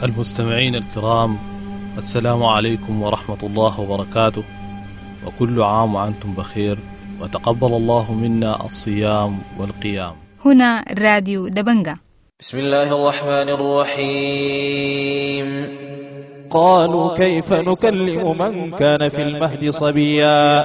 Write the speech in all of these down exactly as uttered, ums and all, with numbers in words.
المستمعين الكرام، السلام عليكم ورحمة الله وبركاته، وكل عام وأنتم بخير، وتقبل الله منا الصيام والقيام. هنا راديو دبنجة. بسم الله الرحمن الرحيم. قالوا كيف نكلم من كان في المهد صبيا؟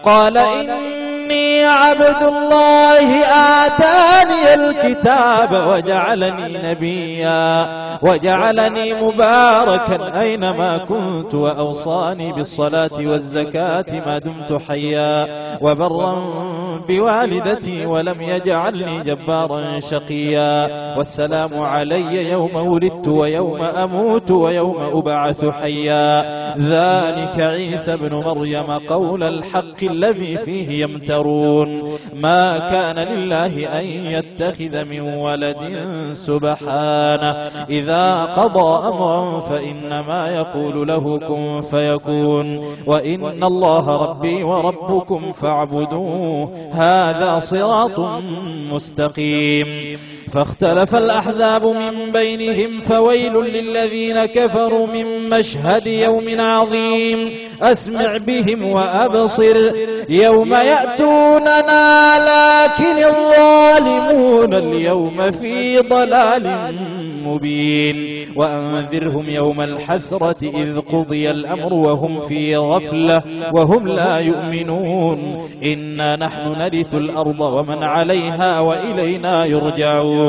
قال إني عبد الله آتاني الكتاب وجعلني نبيا وجعلني مباركا أينما كنت وأوصاني بالصلاة والزكاة ما دمت حيا وبرا بوالدتي ولم يجعلني جبارا شقيا والسلام علي يوم ولدت ويوم أموت ويوم أبعث حيا. ذلك عيسى ابن مريم قول الحق الذي فيه يمترون. ما كان لله أن يتخذ من ولد سبحانه، إذا قضى أمرا فإنما يقول له كن فيكون. وإن الله ربي وربكم فاعبدوه، هذا صراط مستقيم. فاختلف الأحزاب من بينهم فويل للذين كفروا من مشهد يوم عظيم. أسمع بهم وأبصر يوم يأتوننا لكن الظالمون اليوم في ضلال مبين. وأنذرهم يوم الحسرة إذ قضي الأمر وهم في غفلة وهم لا يؤمنون. إنا نحن نرث الأرض ومن عليها وإلينا يرجعون.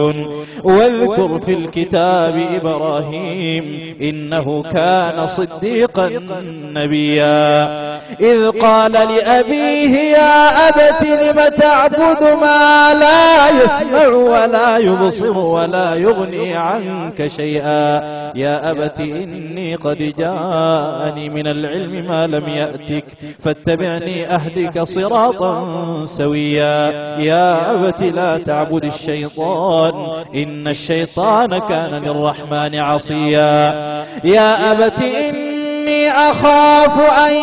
واذكر في الكتاب إبراهيم إنه كان صديقا نبيا. إذ قال لأبيه يا أبت لم تعبد ما لا يسمع ولا يبصر ولا يغني عنك شيئا. يا أبت إني قد جاءني من العلم ما لم يأتك فاتبعني أهدك صراطا سويا. يا أبت لا تعبد الشيطان إن الشيطان كان للرحمن عصيا. يا أبت إني أخاف أن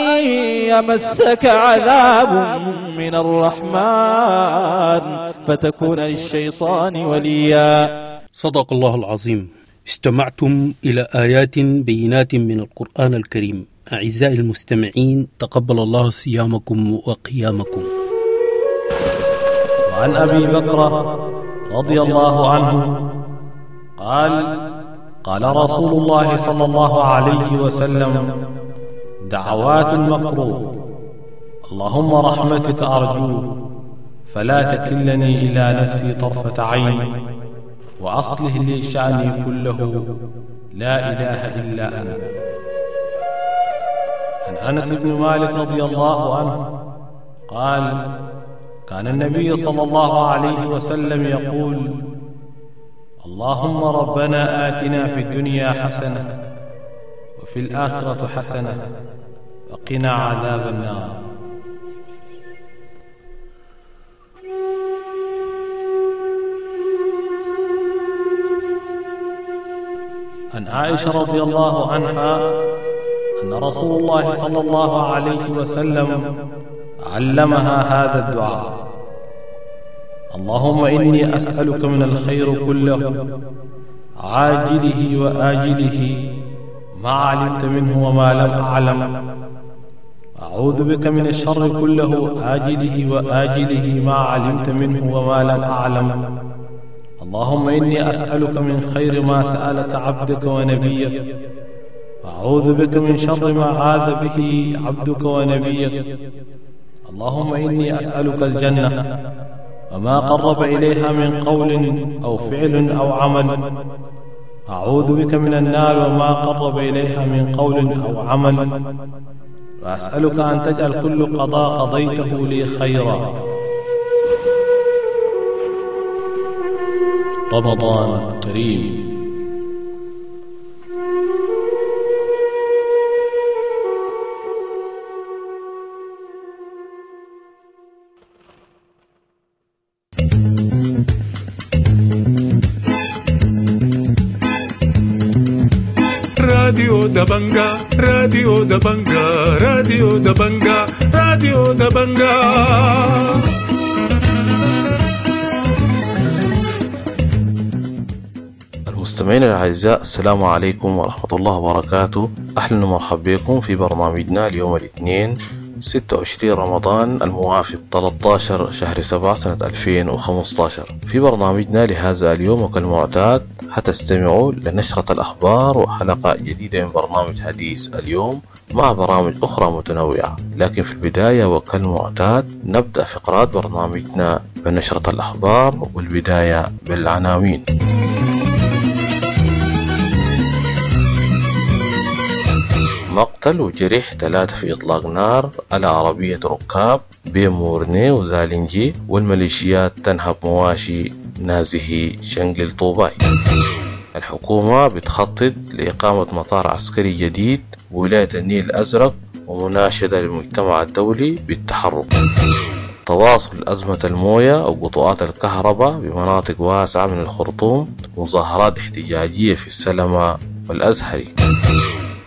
يمسك عذاب من الرحمن فتكون للشيطان وليا. صدق الله العظيم. استمعتم إلى آيات بينات من القرآن الكريم. أعزائي المستمعين، تقبل الله صيامكم وقيامكم. وعن أبي بكرة رضي الله عنه قال: قال رسول الله صلى الله عليه وسلم: دعوات المكروه، اللهم رحمتك أرجوه، فلا تكلني إلى نفسي طرفة عين، وأصلح لي شأني كله، لا إله إلا أنت. عن أنس بن مالك رضي الله عنه قال: كان النبي صلى الله عليه وسلم يقول: اللهم ربنا آتنا في الدنيا حسنة وفي الآخرة حسنة وقنا عذاب النار. عن عائشة رضي الله عنها أن رسول الله صلى الله عليه وسلم علمها هذا الدعاء: اللهم إني أسألك من الخير كله عاجله وآجله ما علمت منه وما لم أعلم، أعوذ بك من الشر كله عاجله وآجله ما علمت منه وما لم أعلم. اللهم إني أسألك من خير ما سألك عبدك ونبيك، أعوذ بك من شر ما عاذ به عبدك ونبيك. اللهم إني أسألك الجنة وما قرب إليها من قول أو فعل أو عمل، أعوذ بك من النار وما قرب إليها من قول أو عمل، وأسألك أن تجعل كل قضاء قضيته لي خيرا. رمضان كريم. راديو دبنجا، راديو دبنجا، راديو دبنجا، راديو دبنجا. مستمعينا الأعزاء، السلام عليكم ورحمة الله وبركاته. أهلا ومرحبا بكم في برنامجنا اليوم الاثنين ستة وعشرين رمضان الموافق ثلاثة عشر شهر سبعة سنة ألفين وخمسة عشر. في برنامجنا لهذا اليوم وكالمعتاد حتستمعوا لنشرة الأخبار وحلقة جديدة من برنامج حديث اليوم مع برامج أخرى متنوعة، لكن في البداية وكالمعتاد نبدأ فقرات برنامجنا بنشرة الأخبار، والبداية بالعناوين. مقتل وجريح ثلاثة في إطلاق نار على عربية ركاب بين مورني وزالنجي، والميليشيات تنهب مواشي نازهي شنقل طوباي. الحكومة بتخطط لإقامة مطار عسكري جديد بولاية النيل الأزرق ومناشدة للمجتمع الدولي بالتحرك. تواصل أزمة الموية وقطوعات الكهرباء بمناطق واسعة من الخرطوم، مظاهرات احتجاجية في السلمة والأزهري.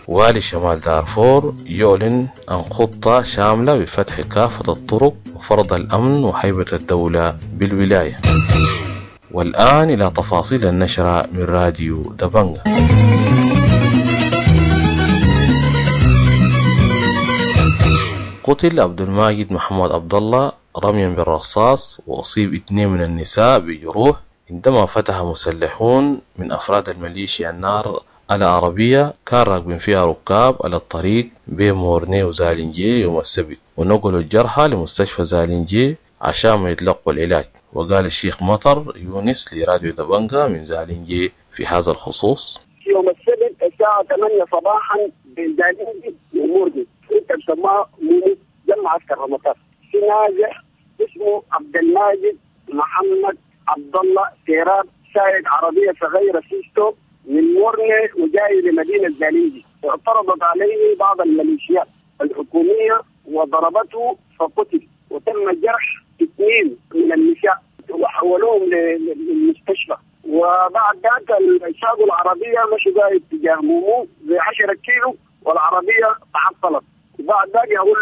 والي شمال دارفور يعلن عن خطة شاملة بفتح كافة الطرق وفرض الأمن وهيبة الدولة بالولاية. والآن إلى تفاصيل النشرة من راديو دبنجا. قتل عبد الماجد محمد عبد الله رميا بالرصاص وأصيب اثنين من النساء بجروح عندما فتح مسلحون من أفراد الميليشيا النار على عربية كان راكبين فيها ركاب على الطريق بين مورني وزالنجي يوم السبت، ونقلوا الجرحى لمستشفى زالنجي عشان ما يتلقوا العلاج. وقال الشيخ مطر يونس لراديو دبنجا من زالنجي في هذا الخصوص: يوم السبت الساعة ثمانية صباحا بين زالنجي ومورني، انت بسموها مومو جنب معسكر المطار، في نازح اسمه عبد الماجد محمد عبد الله سيراب، سائق عربية صغيرة سيستو من مورني وجاي لمدينة زالنجي، اعترضت عليه بعض الميليشيات الحكومية وضربته فقتل، وتم جرح اثنين من النساء وحولوهم للمستشفى. وبعد ذاك ساقوا العربية مشوا جاي اتجاه مومو ب عشرة كيلو والعربية تعطلت. وبعد ذاك يقول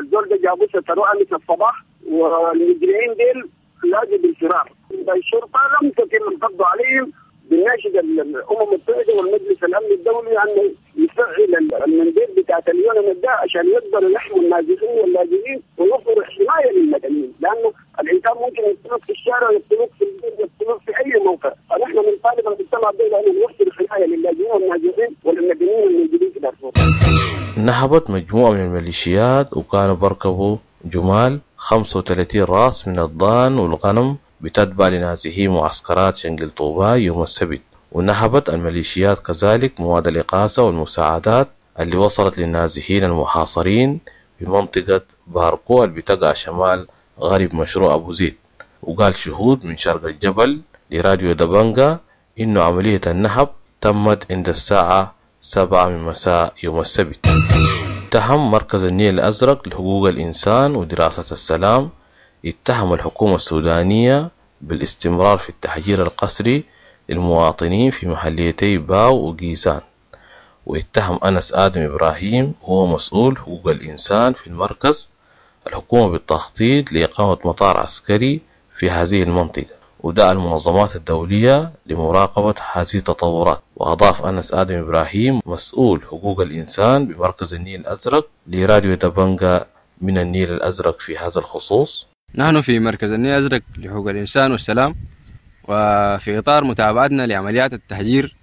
الزول ده جابوه ستروه امس الصباح، والمجرمين ديل لاجوا بالفرار. الشرطة لم تتم القبض عليهم. بنناشد الامم المتحدة والمجلس الامن الدولي انه يفعل المنديل بتاعت اليونان ده عشان يقدروا يحموا النازحين واللاجئين ويوفروا حماية للمدنيين، لانه الانسان ممكن يقتلوك في الشارع ويقتلوك في البيت ويقتلوك في اي موقع، فنحن بنطالب المجتمع الدولي انه يوفر حماية للاجئين والنازحين وللمدنيين الموجودين في دارفور. نهبت مجموعة من الميليشيات وكانوا بركبوا جمال خمسة وثلاثين راس من الضان والغنم بتتبع لنازحي معسكرات شنقل طوباي يوم السبت. ونهبت الميليشيات كذلك مواد الإغاثة والمساعدات اللي وصلت للنازحين المحاصرين بمنطقة باركو اللي بتقع شمال غرب مشروع أبو زيد. وقال شهود من شرق الجبل لراديو دبنجا إنه عملية النهب تمت عند الساعة سبعة من مساء يوم السبت. اتهم مركز النيل الأزرق لحقوق الإنسان ودراسة السلام اتهم الحكومة السودانية بالاستمرار في التهجير القسري للمواطنين في محليتي باو وقيسان. واتهم أنس آدم إبراهيم هو مسؤول حقوق الإنسان في المركز الحكومة بالتخطيط لإقامة مطار عسكري في هذه المنطقة، ودعا المنظمات الدولية لمراقبة هذه التطورات. وأضاف أنس آدم إبراهيم مسؤول حقوق الإنسان بمركز النيل الأزرق لراديو دبنجا من النيل الأزرق في هذا الخصوص: نحن في مركز النيل الأزرق لحقوق الإنسان والسلام، وفي إطار متابعتنا لعمليات التهجير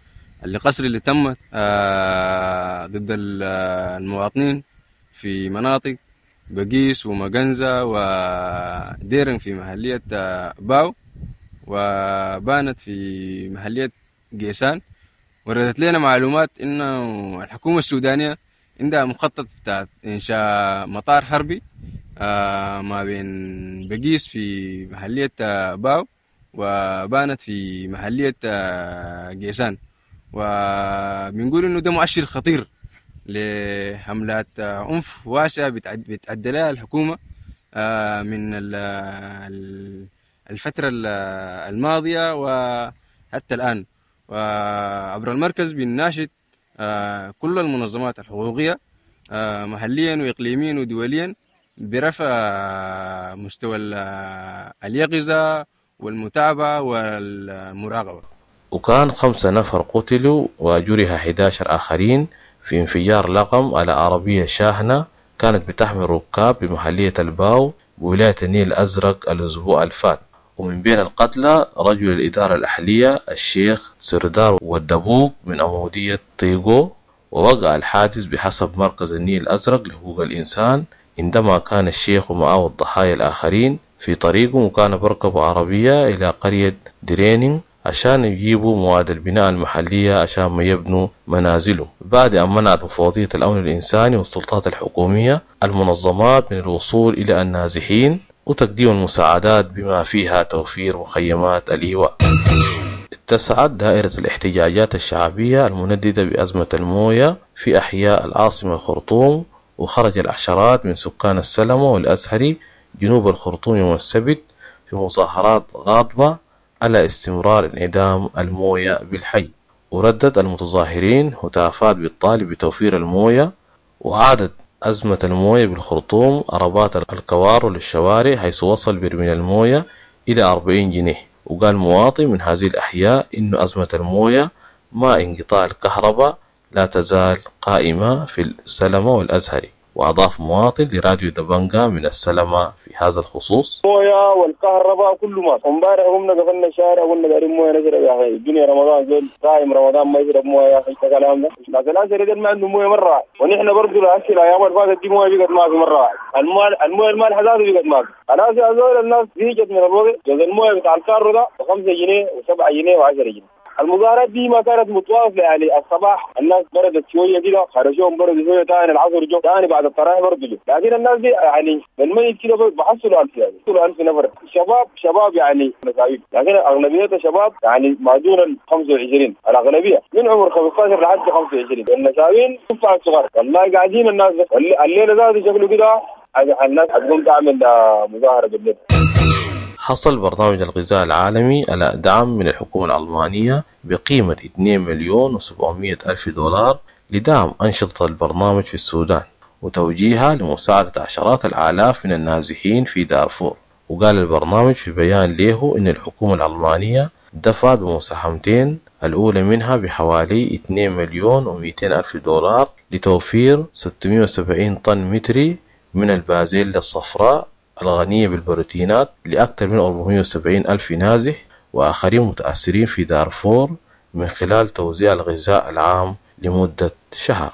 القسري اللي تمت ضد المواطنين في مناطق بقيس ومجنزة وديرن في محلية باو وبانت في محلية قيسان، وردت لنا معلومات إنه الحكومة السودانية عندها مخطط بتاع إنشاء مطار حربي ما بين بقيس في محلية باو وبانت في محلية قيسان. وبنقول إنه ده مؤشر خطير لحملات عنف واسعة بتعد لها الحكومة من الفترة الماضية وحتى الآن. وعبر المركز بنناشد كل المنظمات الحقوقية محليا وإقليميا ودوليا برفع مستوى اليقظة والمتابعة والمراقبة. وكان خمسة نفر قتلوا وجرح حداشر آخرين في انفجار لغم على عربية شاحنة كانت بتحمل ركاب بمحلية الباو بولاية النيل الأزرق الأسبوع الفات. ومن بين القتلى رجل الإدارة الأهلية الشيخ سردار والدبوق من عمودية طيقو. ووقع الحادث بحسب مركز النيل الأزرق لحقوق الإنسان عندما كان الشيخ ومعه الضحايا الآخرين في طريقهم، وكان بركبوا عربية إلى قرية درينينغ عشان يجيبوا مواد البناء المحلية عشان ما يبنوا منازلهم، بعد أن منعت مفوضية الأمن الإنساني والسلطات الحكومية المنظمات من الوصول إلى النازحين وتقديم المساعدات بما فيها توفير مخيمات الإيواء. اتسعت دائرة الاحتجاجات الشعبية المنددة بأزمة الموية في أحياء العاصمة الخرطوم، وخرج العشرات من سكان السلمة والأزهري جنوب الخرطوم يوم السبت في مظاهرات غاضبة على استمرار انعدام الموية بالحي. وردد المتظاهرين هتافات بالطالب بتوفير الموية. وعادت أزمة الموية بالخرطوم عربات الكوارو للشوارع، حيث وصل برميل الموية إلى أربعين جنيه. وقال مواطن من هذه الأحياء إن أزمة الموية مع انقطاع الكهرباء لا تزال قائمة في السلمة والأزهري. وأضاف مواطن لراديو دبنجا من السلمة في هذا الخصوص: موية والكهرباء كله ما امبارح قمنا قفلنا الشارع وقلنا دارين مويه نشرب يا اخي، الدنيا رمضان زول صايم رمضان ما يشرب مويه يا اخي، الكلام ده ناس الازهري ده ما عندهم مويه مره، ونحن برضه هسه الايام اللي فاتت دي مويه بقت ما في مره واحده، المويه المويه المالحه ذاته بقت ما في. خلاص يا زول الناس زهقت من الوضع، جوز المويه بتاع الكارو ده ب خمسة جنيه وسبعة جنيه وعشرة جنيه. المظاهرات دي ما كانت متواصله، يعني الصباح الناس بردت شويه كده خرجوهم بردوا شويه، ثاني العصر جو، ثاني بعد التراويح برضه جو، لكن الناس دي يعني بالميت كده بحصلوا ألف، يعني بحصلوا ألف نفر شباب شباب يعني مساويين، لكن اغلبيتها شباب يعني ما دون ال خمسة وعشرين، الاغلبيه من عمر خمسة عشر لحد خمسة وعشرين، النساوين تفع الصغار والله قاعدين الناس الليله ذاته شكله كده الناس حتقوم تعمل مظاهره بالليل. حصل برنامج الغذاء العالمي على دعم من الحكومة الألمانية بقيمة اثنين مليون وسبعمائة ألف دولار لدعم أنشطة البرنامج في السودان وتوجيهها لمساعدة عشرات الآلاف من النازحين في دارفور. وقال البرنامج في بيان له إن الحكومة الألمانية دفعت بمساهمتين، الأولى منها بحوالي اثنين مليون ومئتين ألف دولار لتوفير ستمائة وسبعين طن متري من البازيلا الصفراء الغنية بالبروتينات لأكثر من أربعمائة وسبعين ألف نازح وآخرين متأثرين في دارفور من خلال توزيع الغذاء العام لمدة شهر.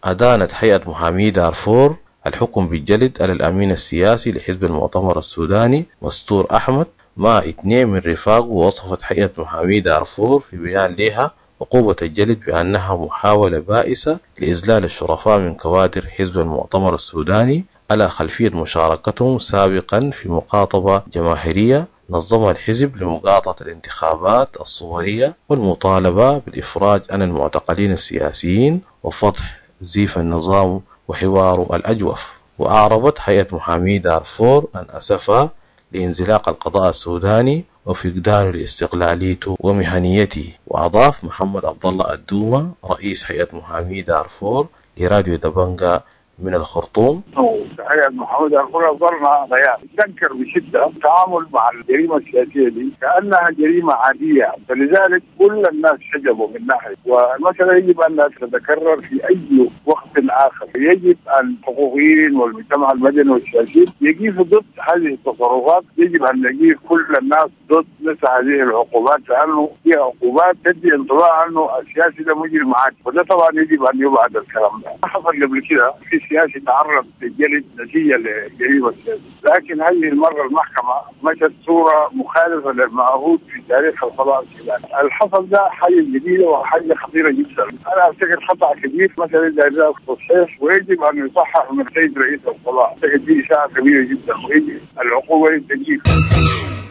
أدانت هيئة محامي دارفور الحكم بالجلد على الأمين السياسي لحزب المؤتمر السوداني مستور أحمد مع اثنين من رفاقه، ووصفت هيئة محامي دارفور في بيان لها عقوبة الجلد بأنها محاولة بائسة لإذلال الشرفاء من كوادر حزب المؤتمر السوداني على خلفية مشاركتهم سابقا في مقاطبة جماهيرية نظمها الحزب لمقاطعة الانتخابات الصورية والمطالبة بالإفراج عن المعتقلين السياسيين وفتح زيف النظام وحواره الأجوف. وأعربت هيئة محامي دارفور عن أسفها لانزلاق القضاء السوداني وفقدانه لاستقلاليته ومهنيته. وأضاف محمد عبد الله الدومة رئيس هيئة محامي دارفور لراديو دبنجا من الخرطوم: هيئة محامي دارفور أصدرنا بيان تنكر بشدة التعامل مع الجريمة السياسية دي كأنها جريمة عادية، فلذلك كل الناس حجبوا من ناحية، والمسألة يجب أن لا تتكرر في أي وقت آخر. يجب الحقوقيين والمجتمع المدني والسياسي يقفوا ضد هذه التصرفات، يجب أن يقف كل الناس ضد مثل هذه العقوبات، لأنه هي عقوبات تدي انطباع أنه السياسي ده مجرم عادي، وده طبعا يجب أن يبعد الكلام ده. حصل قبل كده في سياسي تعرض للجلد نتيجة لجريمة السياسي، لكن هذه المرة المحكمة مشت صورة مخالفة للمعهود في تاريخ القضاء السوداني. الحصل ده حاجة جديدة وحاجة خطيرة جدا، أنا أفتكر خطأ كبير مثلا إذا تصحيح، ويجب أن يصحح من السيد رئيس القضاء. أعتقد دي إشاعة كبيرة جدا ويجب العقوبة للتجيب.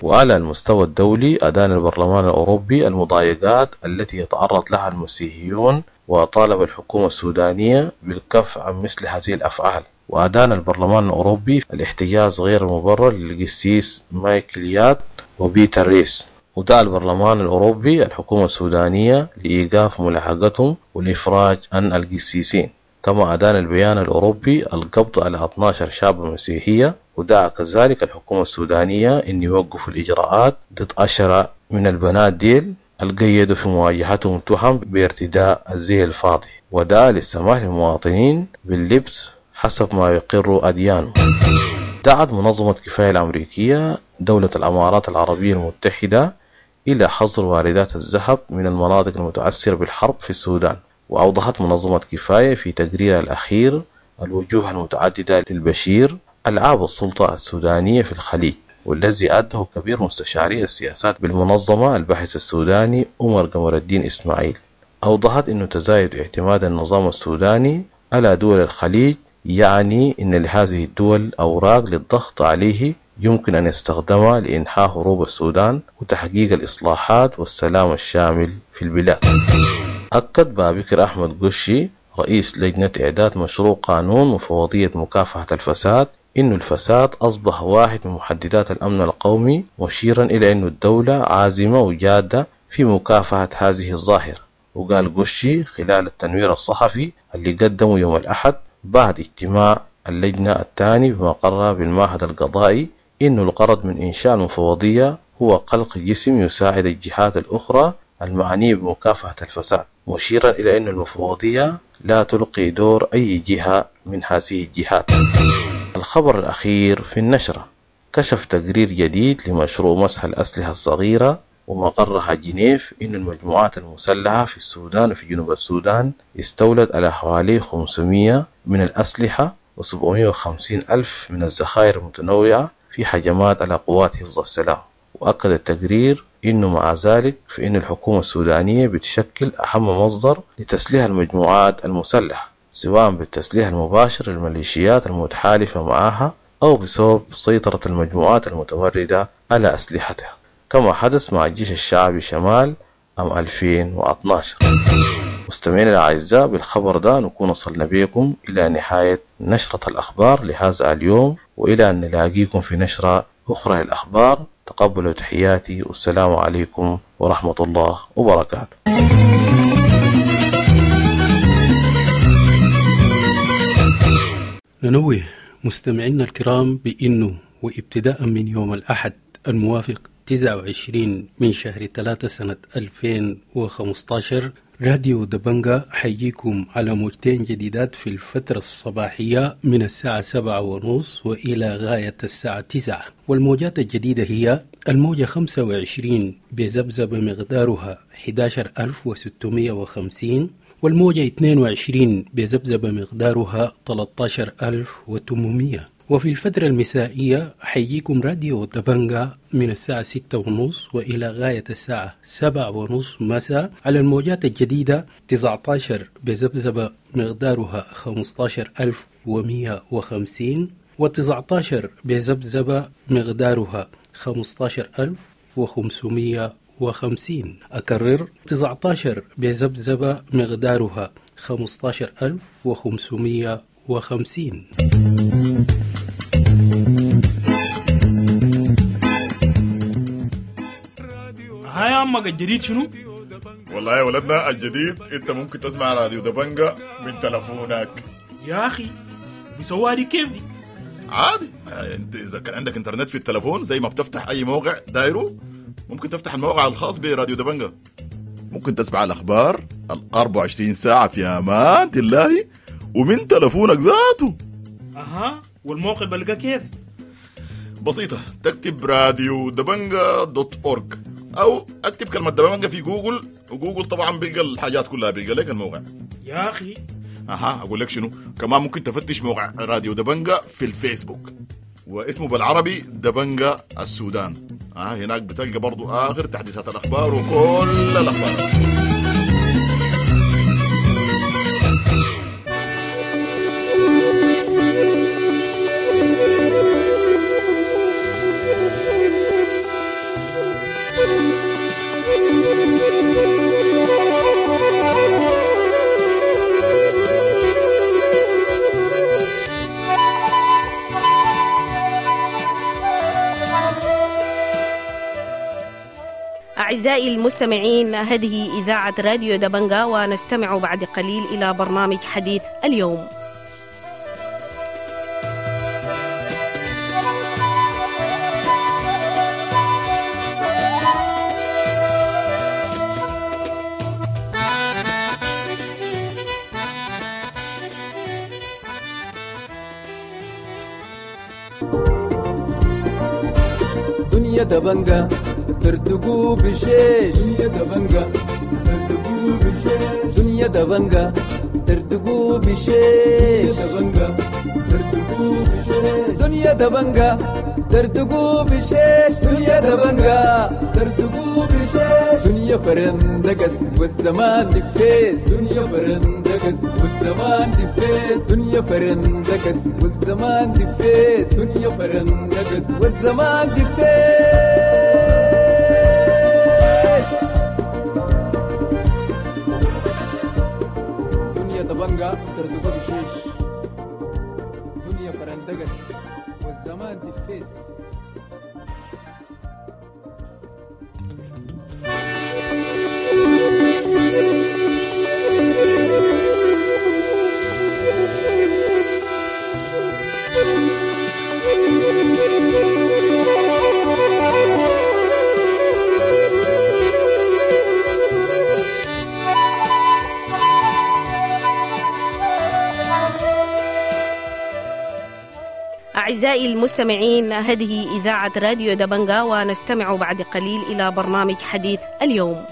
وعلى المستوى الدولي أدان البرلمان الأوروبي المضايقات التي يتعرض لها المسيحيون وطالب الحكومة السودانية بالكف عن مثل هذه الأفعال. وأدان البرلمان الأوروبي الاحتجاز غير المبرر للقسيس مايكل يات وبيتر ريس. ودعا البرلمان الأوروبي الحكومة السودانية لإيقاف ملاحقتهم والإفراج عن القسيسين. كما أدان البيان الأوروبي القبض على اثني عشر شابة مسيحية، ودعا كذلك الحكومة السودانية أن يوقفوا الإجراءات ضد عشرة من البنات ديل القيدوا في مواجهتهم تهم بارتداء الزي الفاضي، ودعا للسماح للمواطنين باللبس حسب ما يقر أديانه. دعت منظمة كفاية الأمريكية دولة الأمارات العربية المتحدة إلى حظر واردات الذهب من المناطق المتأثرة بالحرب في السودان. وأوضحت منظمة كفاية في تقريرها الأخير الوجوه المتعددة للبشير ألعاب السلطة السودانية في الخليج، والذي أده كبير مستشاري السياسات بالمنظمة الباحث السوداني عمر قمر الدين إسماعيل. أوضحت أنه تزايد اعتماد النظام السوداني على دول الخليج يعني أن لهذه الدول أوراق للضغط عليه يمكن أن يستخدمها لإنهاء هروب السودان وتحقيق الإصلاحات والسلام الشامل في البلاد. أكد بابكر أحمد قشي رئيس لجنة إعداد مشروع قانون مفوضية مكافحة الفساد إن الفساد أصبح واحد من محددات الأمن القومي، مشيرا إلى أن الدولة عازمة وجادة في مكافحة هذه الظاهرة. وقال قشي خلال التنوير الصحفي اللي قدمه يوم الأحد بعد اجتماع اللجنة الثاني بمقرها بالمعهد القضائي إنه الغرض من إنشاء المفوضية هو خلق جسم يساعد الجهات الأخرى المعنية بمكافحة الفساد، مشيرا إلى أن المفوضية لا تلقي دور أي جهة من هذه الجهات. الخبر الأخير في النشرة: كشف تقرير جديد لمشروع مسح الأسلحة الصغيرة ومقرها جنيف إن المجموعات المسلحة في السودان وفي جنوب السودان استولت على حوالي خمسمية من الأسلحة وسبعمية وخمسين ألف من الذخائر المتنوعة في هجمات على قوات حفظ السلام. وأكد التقرير إنه مع ذلك فإن الحكومة السودانية بتشكل أهم مصدر لتسليح المجموعات المسلحة، سواء بالتسليح المباشر للميليشيات المتحالفة معها أو بسبب سيطرة المجموعات المتمردة على أسلحتها، كما حدث مع الجيش الشعبي شمال عام ألفين واثناشر. مستمعينا الأعزاء، بالخبر ده نكون وصلنا بكم إلى نهاية نشرة الأخبار لهذا اليوم، وإلى أن نلاقيكم في نشرة أخرى للأخبار. تقبلوا تحياتي والسلام عليكم ورحمة الله وبركاته. ننوه مستمعينا الكرام بأنه وابتداء من يوم الأحد الموافق تسعة وعشرين من شهر ثلاثة سنة ألفين وخمسة عشر راديو دبنجا حييكم على موجتين جديدات في الفترة الصباحية من الساعة سبعة ونص وإلى غاية الساعة تسعة، والموجات الجديدة هي الموجة خمسة وعشرين بذبذبة مقدارها أحد عشر ألف وستمية وخمسين، والموجة اثنين وعشرين بذبذبة مقدارها ثلاثة عشر ألف وثمانمية. وفي الفترة المسائية حييكم راديو دبنجا من الساعة ستة ونص وإلى غاية الساعة سبعة ونص مساء على الموجات الجديدة تسعة عشر بذبذبة مقدارها خمسة عشر ألف ومية وخمسين، وتسعة عشر بذبذبة مقدارها خمسة عشر ألف وخمسمية وخمسين. أكرر، تسعة عشر بذبذبة مقدارها خمسة عشر ألف وخمسمية وخمسين. هاي عمك الجديد شنو؟ والله يا ولدنا الجديد انت ممكن تسمع راديو دبنجا من تلفونك. يا اخي بيسووها دي كيف دي؟ عادي، انت اذا كان عندك انترنت في التلفون زي ما بتفتح اي موقع دايرو ممكن تفتح الموقع الخاص براديو دبنجا، ممكن تسمع الاخبار ال أربعة وعشرين ساعة في امان الله ومن تلفونك ذاته. اها، والموقع بلقى كيف؟ بسيطة، تكتب راديو دبنجا dot org او اكتب كلمة دبنجا في جوجل، وجوجل طبعا بيلقى الحاجات كلها، بيلقى لك الموقع. يا اخي اها، اقول لك شنو كمان، ممكن تفتش موقع راديو دبنجا في الفيسبوك واسمه بالعربي دبنجا السودان. اه هناك بتلقى برضو اخر تحديثات الاخبار وكل الاخبار. أعزائي المستمعين، هذه إذاعة راديو دبنجا، ونستمع بعد قليل إلى برنامج حديث اليوم. دنيا دبنجة تردقو بشيش، دنيا دبنجة تردقو بشيش، دنيا دبنجة تردقو بشيش، دبنجة تردقو بشيش، دنيا دبنجة تردقو بشيش، دنيا دبنجة تردقو بشيش، دنيا فرندقس والزمان دفيس، دنيا فرندقس والزمان دفيس، دنيا فرندقس والزمان دفيس، دنيا فرندقس والزمان دفيس. دنيا دبنجة تردقو بشيش، دنيا فرندقس والزمان دفيس. أعزائي المستمعين، هذه إذاعة راديو دبنجا، ونستمع بعد قليل إلى برنامج حديث اليوم.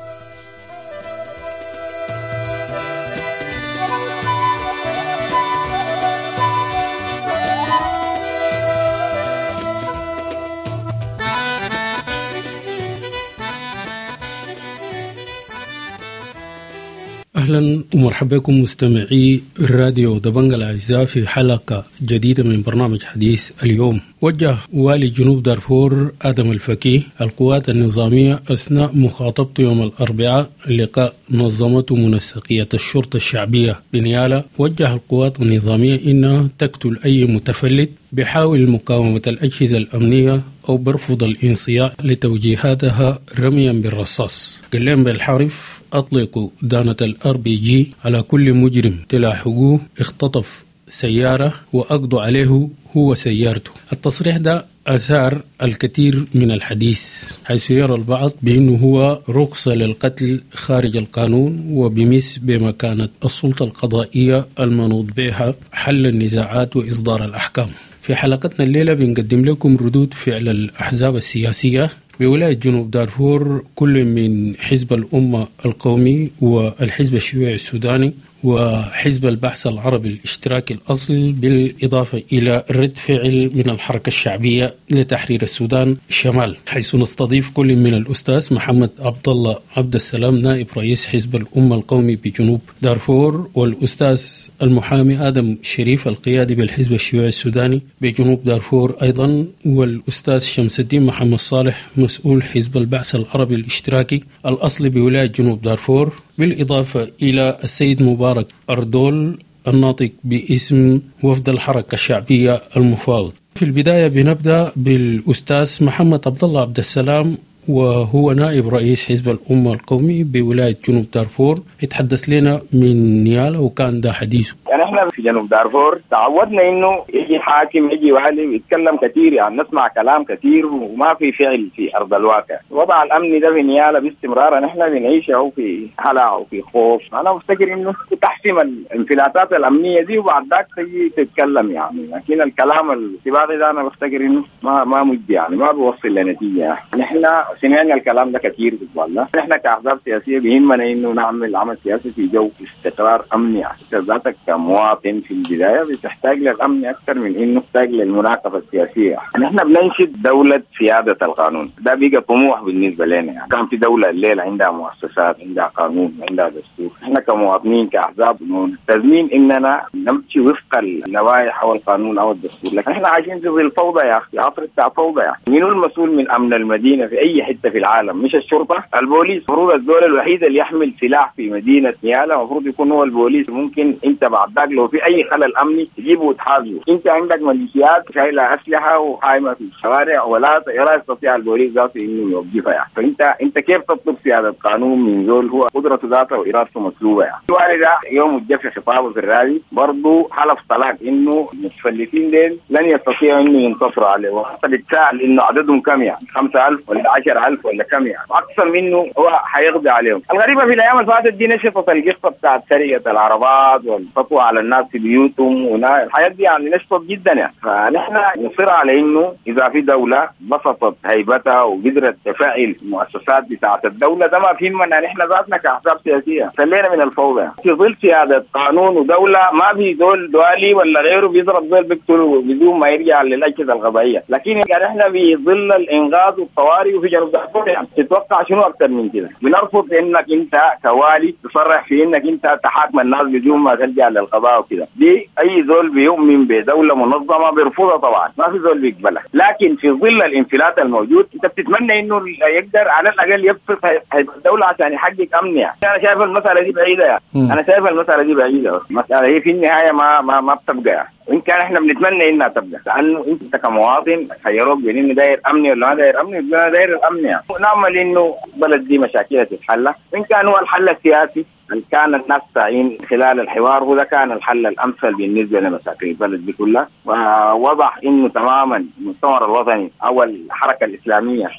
أهلا ومرحبا بكم مستمعي راديو دبنجا الأعزاء في حلقة جديدة من برنامج حديث اليوم. وجه والي جنوب دارفور آدم الفكي القوات النظامية أثناء مخاطبته يوم الأربعاء لقاء نظمته منسقية الشرطة الشعبية بنيالا، وجه القوات النظامية إنها تقتل أي متفلت بحاول مقاومة الأجهزة الأمنية أو برفض الانصياع لتوجيهاتها رميا بالرصاص. قال لهم بالحرف: أطلقوا دانة الار بي جي على كل مجرم تلاحقوه اختطف سيارة وأقضوا عليه هو سيارته. التصريح ده أثار الكثير من الحديث، حيث يرى البعض بأنه هو رخصة للقتل خارج القانون وبمس بمكانة السلطة القضائية المنوط بها حل النزاعات وإصدار الأحكام. في حلقتنا الليلة بنقدم لكم ردود فعل الأحزاب السياسية بولاية جنوب دارفور، كل من حزب الأمة القومي والحزب الشيوعي السوداني وحزب البعث العربي الاشتراكي الأصل، بالإضافة إلى رد فعل من الحركة الشعبية لتحرير السودان الشمال، حيث نستضيف كل من الأستاذ محمد عبد الله عبد السلام نائب رئيس حزب الأمة القومي بجنوب دارفور، والأستاذ المحامي آدم شريف القيادي بالحزب الشيوعي السوداني بجنوب دارفور أيضا، والأستاذ شمس الدين محمد صالح مسؤول حزب البعث العربي الاشتراكي الأصلي بولاية جنوب دارفور، بالإضافة إلى السيد مبارك أردول الناطق باسم وفد الحركة الشعبية المفاوض. في البداية بنبدأ بالأستاذ محمد عبد الله عبد السلام، وهو نائب رئيس حزب الأمة القومي بولاية جنوب دارفور، يتحدث لنا من نيالا وكان ده حديثه. يعني احنا في جنوب دارفور تعودنا انه يجي حاكم يجي والي ويتكلم كثير، يعني نسمع كلام كثير وما في فعل في ارض الواقع. الوضع الامني ده في نيالا باستمرار نحن بنعيشه في هلع وفي خوف. انا مفتكر انه تحسم الانفلاتات الامنيه دي وبعد ذاك تجي تتكلم يعني، لكن الكلام السباقي ده انا بفتكر انه ما ما مجدي يعني، ما بيوصل لنتيجه. نحن سمعنا الكلام ده كثير والله. نحن كأحزاب سياسية بيهمنا إنه نعمل عمل سياسي في جو استقرار أمني. يعني ذاتك كمواطن في البداية بتحتاج للأمن أكثر من إنه تحتاج للمناقشة السياسية. نحن بننشد دولة سيادة القانون، ده بيجي طموح بالنسبة لنا. يعني كان في دولة الليلة عندها مؤسسات، عندها قانون، عندها دستور. نحن كمواطنين كأحزاب ملتزمين إننا نمشي وفق اللوائح أو القانون أو الدستور، لكن نحن عايشين في ظل فوضى يا أخي، عصر بتاع فوضى. يعني مين المسؤول من أمن المدينة في أي حتة في العالم؟ مش الشرطة، البوليس. المفروض الدولة الوحيدة اللي يحمل سلاح في مدينة نيالا المفروض يكون هو البوليس. ممكن انت بعد ذاك لو في اي خلل امني تجيبه وتحاسبه. انت عندك ميليشيات شايلة اسلحة وحايمة في الشوارع ولا لا يستطيع البوليس ذاته انه يوقفها يعني. فانت انت كيف تطلب سيادة قانون من زول هو قدرته ذاته وارادته مسلوبة يعني؟ الوالي ده يوم الجف خطابه في الرادي برضه حلف طلاق انه المتفلتين ديل لن يستطيعوا انه ينتصروا عليه، وحتى بيتساءل انه عددهم كم يعني، خمسة ألف ولا عشرة عشر ألف ولا كم يعني، اقصى منه هو حيقضي عليهم. الغريبة في الايام اللي فاتت دي نشطت القصة بتاعت سرقه العربات والسطو على الناس في بيوتهم والحاجات دي، يعني نشطت جدا يعني. فنحن نصر على انه اذا في دولة بسطت هيبتها وقدرت تفعل المؤسسات بتاعت الدولة، ده ما فيهمنا نحن ذاتنا كاحزاب سياسية، خلينا من الفوضى. في ظل سيادة قانون ودولة ما في زول دوالي ولا غيره بيضرب زول بيقتله بدون ما يرجع للاجهزة القضائية، لكن يعني احنا في ظل الانغاز والطوارئ وفي جنوب دارفور يعني تتوقع شنو اكثر من كده؟ بنرفض انك انت كوالي تصرح في انك انت تحاكم الناس بدون ما تلجا للقضاء وكده، دي اي زول بيؤمن بدولة منظمة بيرفضها طبعا، ما في زول بيقبلها. لكن في ظل الانفلات الموجود انت بتتمنى انه يقدر على الاقل يبسط هيبة الدولة عشان يحقق امن يعني. انا شايف المسالة دي بعيدة يعني. انا شايف المسالة دي بعيدة، المسالة هي في النهاية ما ما ما بتبقى يعني. وان كان احنا بنتمنى انها تبقى، لانه انت كمواطن خيروك بين انه داير امني ولا ما داير امني، انا داير الامن يعني. ونعمل انه البلد دي مشاكلها تتحل، وان كان هو الحل السياسي اللي كان الناس ساعين خلال الحوار هو ده كان الحل الامثل بالنسبة لمشاكل البلد دي كلها. ووضح انه تماما المؤتمر الوطني او الحركة الاسلامية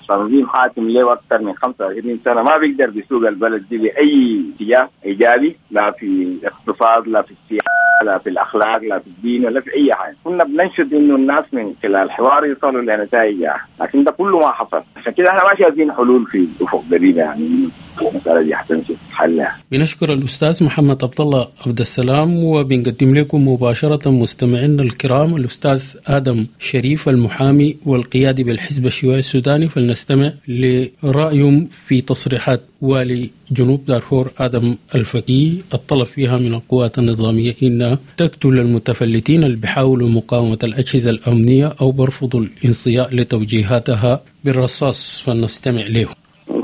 كتنظيم حاكم له اكثر من خمسة وعشرين سنة ما بيقدر بيسوق البلد دي باي اتجاه ايجابي، لا في الاقتصاد لا في السياسة لا في الاخلاق لا في الدين ولا في اي حاجة. كنا بننشد انه الناس من خلال الحوار يصلوا لنتائج يعني. لكن ده كله ما حصل، عشان كده احنا ما شايفين حلول في الافق قريب يعني المسالة دي حتمشي حلها. بنشكر الاستاذ محمد عبد الله عبد السلام، وبنقدم لكم مباشرة مستمعينا الكرام الاستاذ ادم شريف المحامي والقيادي بالحزب الشيوعي السوداني، فلنستمع لرايهم في تصريحات والي جنوب دارفور آدم الفقيه الطلب فيها من القوات النظامية إنها تقتل المتفلتين اللي بيحاولوا مقاومة الأجهزة الأمنية أو برفضوا الانصياع لتوجيهاتها بالرصاص، فلنستمع له.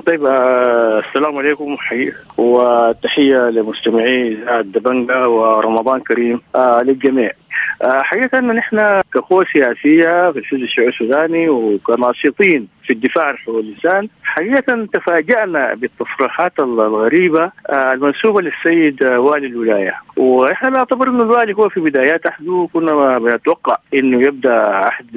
طيب، السلام عليكم حقيقة، وتحية لمستمعي إذاعة دبنجة ورمضان كريم للجميع. حقيقة أن نحن كقوة سياسية في الحزب الشيوعي السوداني وكناشطين في الدفاع عن حقوق الإنسان حقيقة تفاجأنا بالتصريحات الغريبة المنسوبة للسيد والي الولاية. وإحنا نعتبر أن الوالي هو في بدايات عهده كنا بنتوقع أنه يبدأ عهد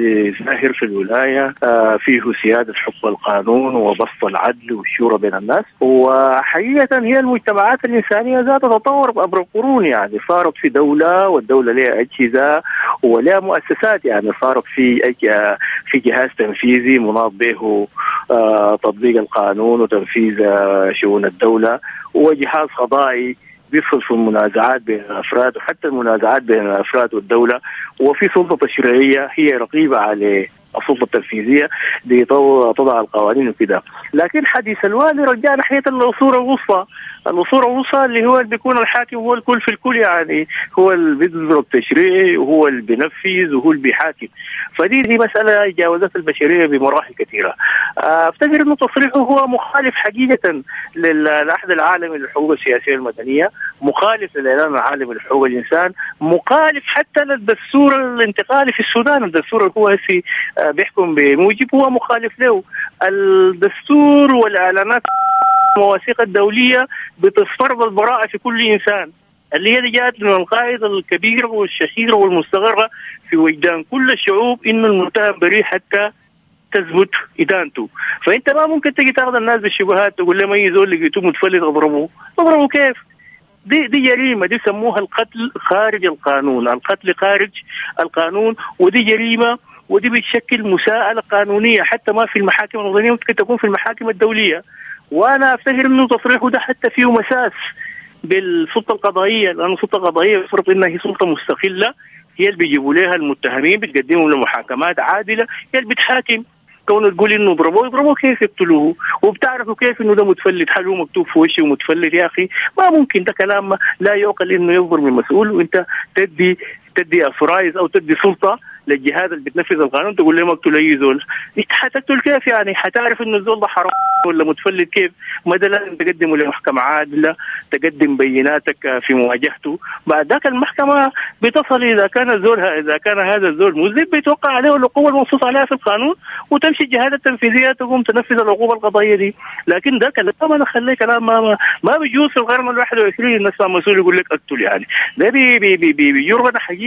زاهر في الولاية فيه سيادة حكم القانون وبسط العدل والشورى بين الناس. وحقيقة هي المجتمعات الإنسانية ذات تطور عبر القرون، يعني صارت في دولة والدولة لها أجهزة ولها مؤسسات، يعني صارت في في جهاز تنفيذي مناط به تطبيق القانون وتنفيذ شؤون الدولة، وجهاز قضائي بيفصل في المنازعات بين الأفراد وحتى المنازعات بين الأفراد والدولة، وفي سلطة تشريعية هي رقيبة على السلطة التنفيذية لتضع القوانين وكده. لكن حديث الوالي رجع ناحية العصور الوسطى، العصور الوسطى اللي هو اللي بيكون الحاكم هو الكل في الكل، يعني هو اللي بيصدر التشريع وهو اللي بينفذ وهو اللي بيحاكم. فدي دي مسألة جاوزت البشرية بمراحل كثيرة. أفتكر أنه تصريحه هو مخالف حقيقة للعهد العالمي للحقوق السياسية المدنية، مخالف للإعلان العالمي لحقوق الإنسان، مخالف حتى للدستور الانتقالي في السودان. الدستور اللي هو هسي بيحكم بموجب هو مخالف له. الدستور والإعلانات المواثيق الدولية بتفترض البراءة في كل إنسان، اللي هي جاءت من القاعدة الكبيرة والشهيرة والمستغرة في وجدان كل الشعوب إنه المتهم بريء حتى تثبت إدانته. فأنت ما ممكن تجي تاخذ الناس بالشبهات تقول لهم أي زول لقيتوه متفلت اضربوه. اضربوه كيف؟ دي دي جريمة، دي سموها القتل خارج القانون، القتل خارج القانون، ودي جريمة، ودي بتشكل مساءلة قانونية حتى ما في المحاكم الوطنية، ممكن تكون في المحاكم الدولية. وأنا أفتكر أنه تصريحه ده حتى فيه مساس بالسلطة القضائية، لأن السلطة القضائية يفرض أنها هي سلطة مستقلة، هي اللي بيجيبوا لها المتهمين بتقدمهم لمحاكمات عادلة، هي اللي بتحاكم. كونه تقول انه ضربوه، يضربوه كيف يقتلوه؟ وبتعرفوا كيف انه ده متفلت؟ هل هو مكتوب في وشه ومتفلت؟ يا اخي ما ممكن، ده كلام لا يعقل انه يصدر من مسؤول وانت تدي تدي authorize او تدي سلطة للجهاز اللي بتنفذ القانون تقول له ما اقتل اي زول. انت حتقتل كيف يعني؟ حتعرف انه الزول ده حرام ولا متفلت كيف؟ ما ده لازم تقدمه لمحكمة عادلة، تقدم بيناتك في مواجهته. بعد ذاك المحكمة بتصل اذا كان الزول اذا كان هذا الزول مذنب بيتوقع عليه العقوبة المنصوص عليها في القانون، وتمشي الجهات التنفيذية تقوم تنفذ العقوبة القضائية دي. لكن ده كلام انا خليه كلام ما ما بيجوز في القرن الواحد وعشرين الناس مسؤول يقول لك اقتل، يعني ده بي بي بي بيرغب حقيقة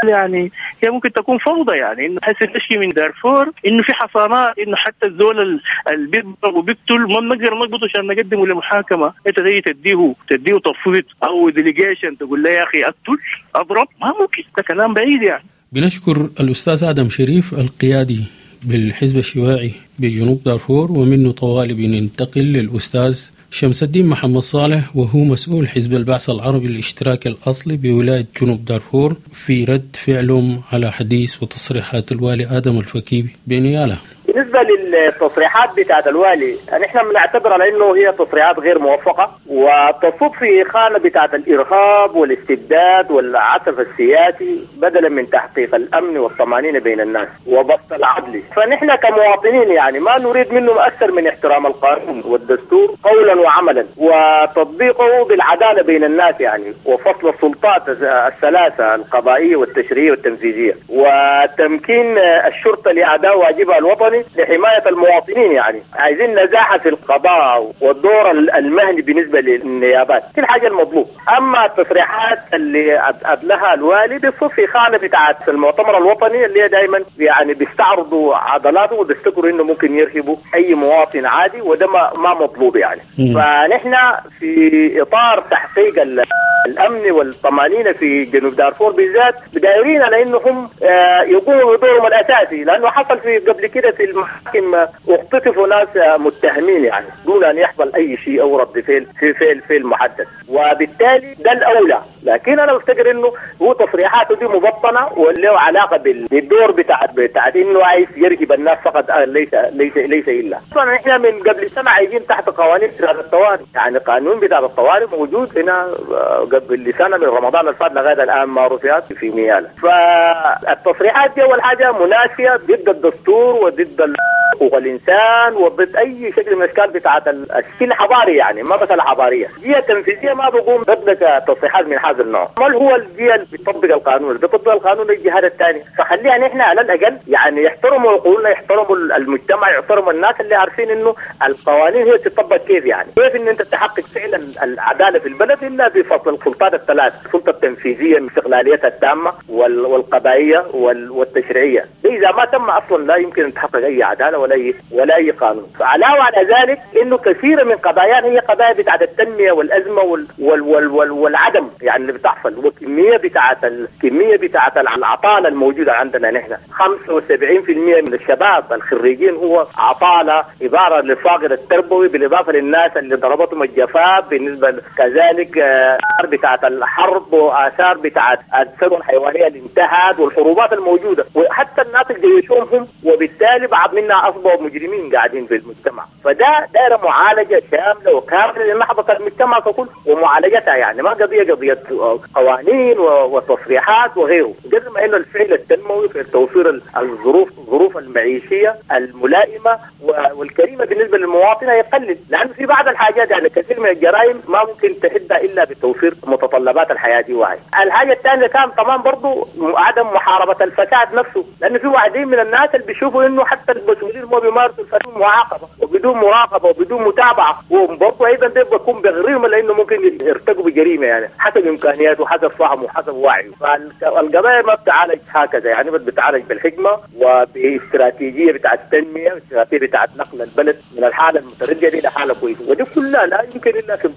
يعني هي ممكن تكون فوضى، يعني انه حس تشكي من دارفور انه في حصانات، انه حتى الزول اللي بيضرب وبيقتل ما بنقدر نقبضه عشان نقدمه لمحاكمه، انت تيجي تديه تديه تفويض او delegation تقول له يا اخي اقتل اضرب، ما ممكن، ده كلام بعيد يعني. بنشكر الاستاذ ادم شريف القيادي بالحزب الشيوعي بجنوب دارفور، ومنه طوالي بننتقل للأستاذ شمس الدين محمد صالح وهو مسؤول حزب البعث العربي الاشتراكي الأصلي بولاية جنوب دارفور في رد فعلهم على حديث وتصريحات الوالي آدم الفكي بنيالا. بالنسبة للتصريحات بتاعت الوالي نحن بنعتبر على انه هي تصريحات غير موفقة وتصب في خانة بتاعت الإرهاب والاستبداد والعسف السياسي بدلا من تحقيق الأمن والطمأنينة بين الناس وبسط العدل. فنحن كمواطنين يعني ما نريد منهم أكثر من احترام القانون والدستور قولا وعملا وتطبيقه بالعدالة بين الناس يعني، وفصل السلطات الثلاثة القضائية والتشريعية والتنفيذية، وتمكين الشرطة لأداء واجبها الوطني لحماية المواطنين. يعني عايزين نزاهة في القضاء والدور المهني بالنسبة للنيابات، دي الحاجة المطلوب. أما التصريحات اللي أدلها الوالي بتصب في خانة بتاعت المؤتمر الوطني اللي دائما يعني بيستعرضوا عضلاته وبيفتكروا إنه ممكن يرهبوا أي مواطن عادي، وده ما مطلوب يعني. م. فنحن في إطار تحقيق الأمن والطمأنينة في جنوب دارفور بالذات بدايرين على إنهم يقوموا بدورهم الأساسي، لأنه حصل في قبل كده في المحاكم اختطفوا ناس متهمين يعني دون أن يحصل أي شيء أو رد فعل في فعل فعل محدد، وبالتالي ده الأولى. لكن أنا بفتكر إنه هو تصريحاته دي مبطنة وله علاقة بالدور بتاع بتاع إنه عايز يرهب الناس فقط، ليس ليس ليس إلا. طبعا إحنا من قبل سنة عايزين تحت قوانين بتاع الطوارئ، يعني قانون بتاع الطوارئ موجود هنا قبل سنة من رمضان الفات لغاية الآن ما رفعت في نيالا. فالتصريحات دي أول حاجة منافية ضد الدستور وضد حقوق الإنسان وضد أي شكل من الأشكال بتاعت الشكل الحضاري، يعني ما مسألة حضارية. جهة تنفيذية ما بقوم ضد تصريحات من هذا النوع. ما هو الجهة اللي بتطبق القانون؟ اللي بتطبق القانون الجهات الثانية. فخليها نحن على الأقل يعني يحترموا عقولنا، يحترموا المجتمع، يحترموا الناس اللي عارفين إنه القوانين هي تطبق كيف، يعني كيف إن أنت تحقق فعلا العدالة في البلد إلا بفصل السلطات الثلاث، السلطة التنفيذية باستقلاليتها التامة والقضائية والتشريعية. إذا ما تم أصلا لا يمكن أن تحقق أي عدالة ولا أي ولا أي قانون. علاوة على ذلك إنه كثير من قضايانا هي قضايا بتاعت التنمية والأزمة وال وال وال وال والعدم يعني اللي بتحصل، والكمية بتاعت الكمية بتاعت العطالة الموجودة عندنا نحن. خمسة وسبعين بالمئة من الشباب الخريجين هو عطالة، عبارة للفاقد التربوي، بالإضافة للناس اللي ضربتهم الجفاف، بالنسبة كذلك آثار بتاعت الحرب وآثار بتاعت الثروة الحيوانية اللي انتهت والحروبات الموجودة، وحتى الناس اللي جيشوهم، وبالتالي بعض منا أصبحوا مجرمين قاعدين في المجتمع. فده دائرة معالجة شاملة وكاملة لنهضة المجتمع ككل ومعالجتها، يعني ما قضية قضية قوانين وتصريحات وغيره، قدر ما إنه الفعل التنموي في توفير الظروف الظروف المعيشية الملائمة والكريمة بالنسبة للمواطن يقلل، لأنه في بعض الحاجات يعني كثير من الجرائم ما ممكن تحدها إلا بتوفير متطلبات الحياة دي. واحد. الحاجة الثانية كان طبعا برضو عدم محاربة الفساد نفسه، لأنه في واحدين من الناس اللي بيشوفوا إنه حتى المسؤولين ما بيمارسوا الفساد معاقبة وبدون مراقبة وبدون متابعة، وبرضو أيضا ده بيكون بغريهم لأنه ممكن يرتكبوا جريمة يعني حسب إمكانياته وحسب فهمه وحسب وعيه. فالقضايا ما بتعالج هكذا، يعني بتعالج بالحكمة وباستراتيجية بتاعة التنمية واستراتيجية بتاعة نقل البلد من الحالة المتردية دي إلى حالة كويسة، ودي كلها لا يمكن إلا في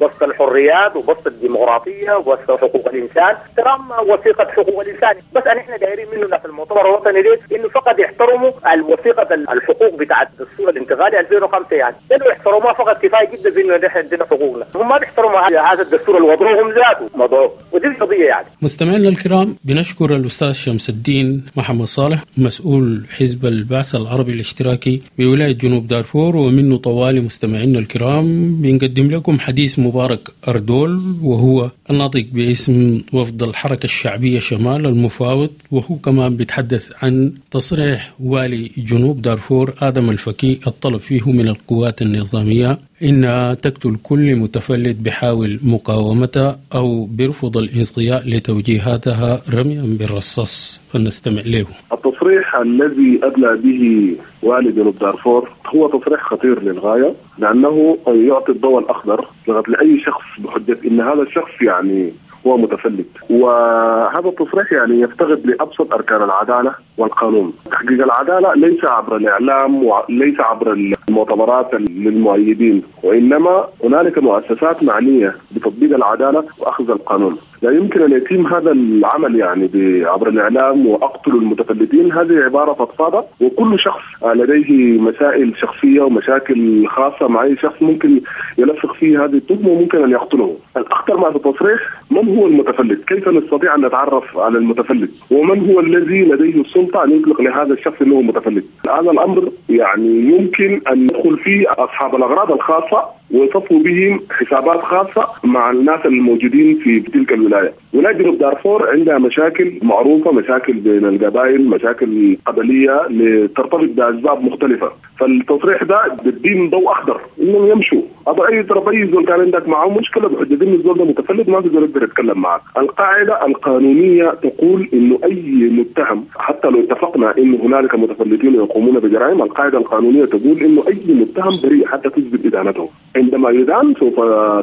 بسط الحريات وبسط الديمقراطية وبسط حقوق الإنسان، احترام وثيقة حقوق الإنسان. بس أن إحنا دايرين منه في المؤتمر الوطني ليه إنه فقط يحترموا الوثيقة الحقوق بتاعة الدستور الانتقالي ألفين وخمسة، يعني لأنه يحترموها فقط كفاية جدا في إنه نحن عندنا حقوقنا، هم ما بيحترموا هذا الدستور اللي وضعوهم ذاته موضوع، ودي القضية يعني. مستمعينا الكرام، بنشكر الأستاذ شمس الدين محمد صالح مسؤول حزب البعث العربي الاشتراكي بولاية جنوب دارفور، ومنه طوالي مستمعينا الكرام بنقدم لكم حديث مبارك أردول وهو الناطق باسم وفد الحركة الشعبية شمال المفاوض، وهو كمان بيتحدث عن تصريح والي جنوب دارفور آدم الفكي الطلب فيه من القوات النظامية إنها تقتل كل متفلت بحاول مقاومتها أو برفض الانصياع لتوجيهاتها رميا بالرصاص. فلنستمع له. التصريح الذي أدلى به والي جنوب دارفور هو تصريح خطير للغاية، لأنه يعطي الضوء الأخضر لأي شخص بحجة إن هذا الشخص يعني هو متفلت، وهذا التصريح يعني يفتقد لأبسط أركان العدالة والقانون. تحقيق العدالة ليس عبر الإعلام وليس عبر المؤتمرات للمؤيدين، وإنما هنالك مؤسسات معنية بتطبيق العدالة وأخذ القانون. لا يمكن أن يتم هذا العمل يعني عبر الإعلام وأقتل المتفلتين، هذه عبارة فضفاضة، وكل شخص لديه مسائل شخصية ومشاكل خاصة مع أي شخص ممكن يلفق فيه هذه التهمة وممكن أن يقتله. الأخطر ما في التصريح، من هو المتفلت؟ كيف نستطيع أن نتعرف على المتفلت؟ ومن هو الذي لديه السلطة أن يطلق لهذا الشخص أنه متفلت؟ هذا الأمر يعني يمكن أن يدخل فيه أصحاب الأغراض الخاصة ويصفوا بهم حسابات خاصة مع الناس الموجودين في تلك الولاية. ولاية جنوب دارفور عندها مشاكل معروفة، مشاكل بين القبائل، مشاكل قبلية ترتبط بأسباب مختلفة. فالتصريح ده بيدين ضوء أخضر إنهم يمشوا. أبو أي طرف أي زول كان عندك معه مشكلة بحجة إنه الزول ده متفلت ما في زول يقدر يتكلم معك. القاعدة القانونية تقول إنه أي متهم حتى لو اتفقنا إنه هنالك متفلتين يقومون بجرائم، القاعدة القانونية تقول إنه أي متهم بريء حتى تثبت إدانته. عندما يدان سوف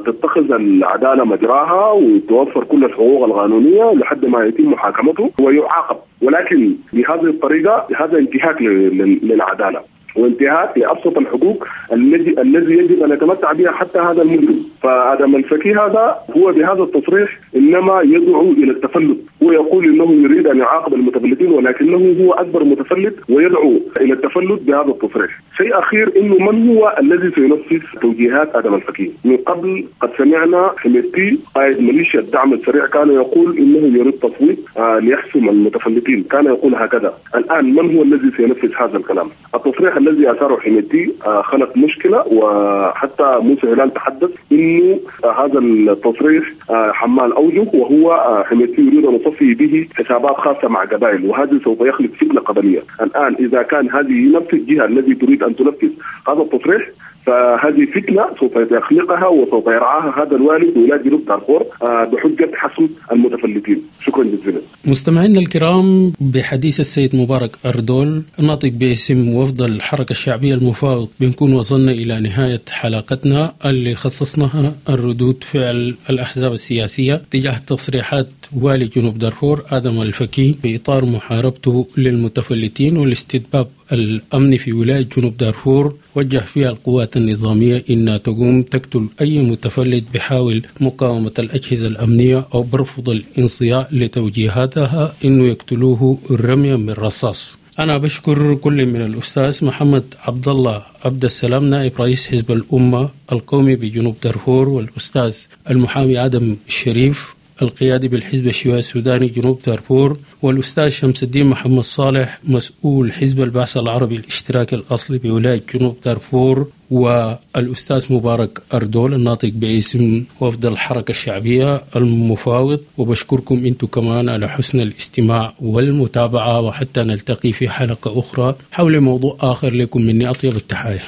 تتخذ العدالة مجراها وتوفر كل الحقوق القانونية لحد ما يتم محاكمته ويعاقب، ولكن بهذه الطريقة هذا انتهاك للعدالة وانتهاك لأبسط الحقوق الذي الذي يجب أن يتمتع بها حتى هذا المجرم. فآدم الفكي هذا هو بهذا التصريح إنما يدعو إلى التفلت، هو يقول إنه يريد أن يعاقب المتفلتين ولكنه هو أكبر متفلت ويدعو إلى التفلت بهذا التصريح. شيء أخير، إنه من هو الذي سينفذ توجيهات آدم الفكي؟ من قبل قد سمعنا حميدتي قائد ميليشيا الدعم السريع كان يقول إنه يريد تصويت آه ليحسم المتفلتين، كان يقول هكذا. الآن من هو الذي سينفذ هذا الكلام؟ التصريح الذي أثاره حميدتي خلق مشكلة، وحتى موسى هلال تحدث إنه هذا التصريح حمال أوجه، وهو حميدتي يريد أن يصفي به حسابات خاصة مع قبائل، وهذا سوف يخلق فتنة قبلية. الآن إذا كان هذه نفس الجهة التي تريد أن تنفذ هذا التصريح فهذه فتنة سوف يخلقها وسوف يرعاها هذا الوالد ولاية جنوب دارفور بحجة حسم المتفلتين. شكرا جزيلا. مستمعينا الكرام، بحديث السيد مبارك أردول الناطق باسم وفد الحركة الشعبية المفاوض بنكون وصلنا إلى نهاية حلقتنا اللي خصصناها الردود فعل الأحزاب السياسية تجاه تصريحات والي جنوب دارفور آدم الفكي بإطار محاربته للمتفلتين والاستتباب الأمني في ولاية جنوب دارفور، وجه فيها القوات النظامية إنها تقوم تقتل أي متفلت بحاول مقاومة الأجهزة الأمنية أو برفض الانصياع لتوجيهاتها إنه يقتلوه رميا من رصاص. أنا بشكر كل من الأستاذ محمد عبد الله عبد السلام نائب رئيس حزب الأمة القومي بجنوب دارفور، والأستاذ المحامي آدم الشريف القيادي بالحزب الشيوعي السوداني جنوب دارفور، والأستاذ شمس الدين محمد صالح مسؤول حزب البعث العربي الاشتراكي الأصلي بولاية جنوب دارفور، والأستاذ مبارك أردول الناطق باسم وفد الحركة الشعبية المفاوض. وبشكركم أنتم كمان على حسن الاستماع والمتابعة، وحتى نلتقي في حلقة أخرى حول موضوع آخر. لكم مني أطيب التحايا.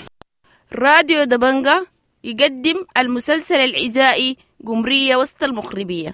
راديو دبنجة يقدم المسلسل العزائي قمرية وسط المخربية.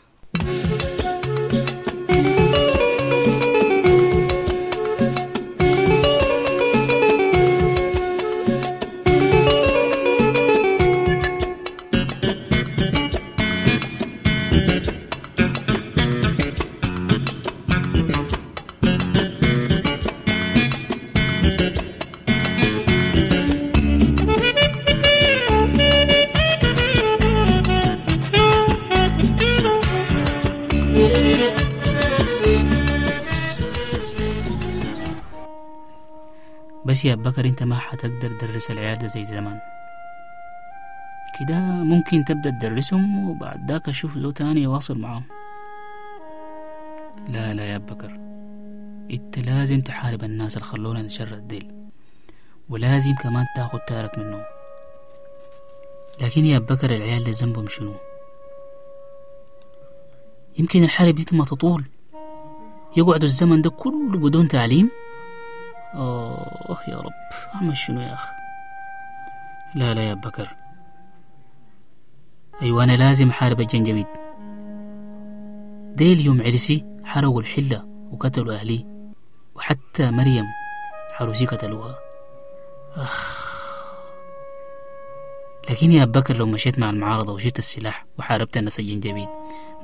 بس يا بكر انت ما حتقدر تدرس العيال ده زي زمان كده، ممكن تبدأ تدرسهم وبعد ذاك اشوف زو تاني يواصل معاهم. لا لا يا بكر، انت لازم تحارب الناس اللي خلونا نشرد ديل، ولازم كمان تاخد تارك منهم. لكن يا بكر العيال ده ذنبهم شنو؟ يمكن الحرب دي ما تطول، يقعدوا الزمن ده كله بدون تعليم. أوه يا رب أعمل شنو يا أخ؟ لا لا يا بكر، أيوة أنا لازم أحارب الجنجويد ديل. يوم عرسي حرقوا الحلة وقتلوا أهلي، وحتى مريم حروسي قتلوها. أخ، لكن يا بكر لو مشيت مع المعارضة وشلت السلاح وحاربت الناس الجنجبيد،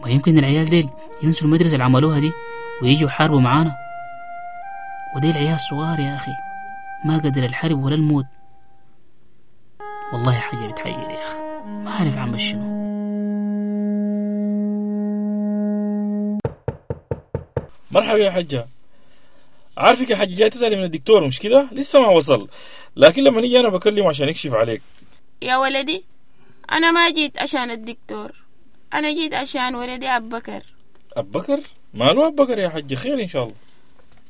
ما يمكن العيال ديل ينسوا المدرسة اللي عملوها دي ويجوا يحاربوا معانا. وديل عيال صغار يا أخي، ما قدر الحرب ولا الموت. والله حاجة بتحير يا أخي، ما عارف عمل شنو. مرحبا يا حجة. عارفك يا حجة جاي تسألي من الدكتور مش كده؟ لسه ما وصل، لكن لما نيجي أنا بكلمه عشان يكشف عليك. يا ولدي أنا ما جيت عشان الدكتور، أنا جيت عشان ولدي أبو بكر. أبو بكر؟ ماله أبو بكر يا حجة؟ خير إن شاء الله.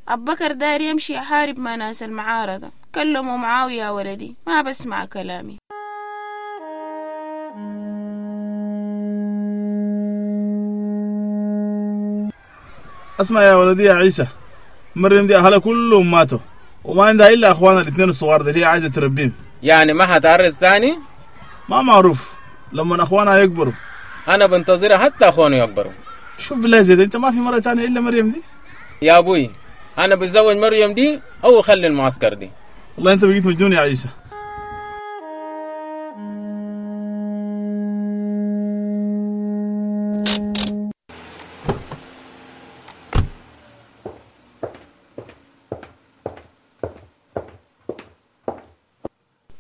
أبو بكر داير يمشي يحارب مع ناس المعارضة، كلموا معاه يا ولدي، ما بسمع كلامي. اسمع يا ولدي يا عيسى، مريم دي أهلها كلهم ماتوا وما عندها إلا أخوانها الاثنين الصغار دي، هي عايزة تربيهم. يعني ما حتعرس تاني؟ ما معروف، لما أخوانها يكبروا. أنا بنتظرها حتى أخوانه يكبروا. شوف بالله زيد، أنت ما في مرة تانية إلا مريم دي؟ يا أبوي أنا بتزوج مريم دي أو خلي المعسكر دي. والله أنت بقيت مجنون يا عيسى.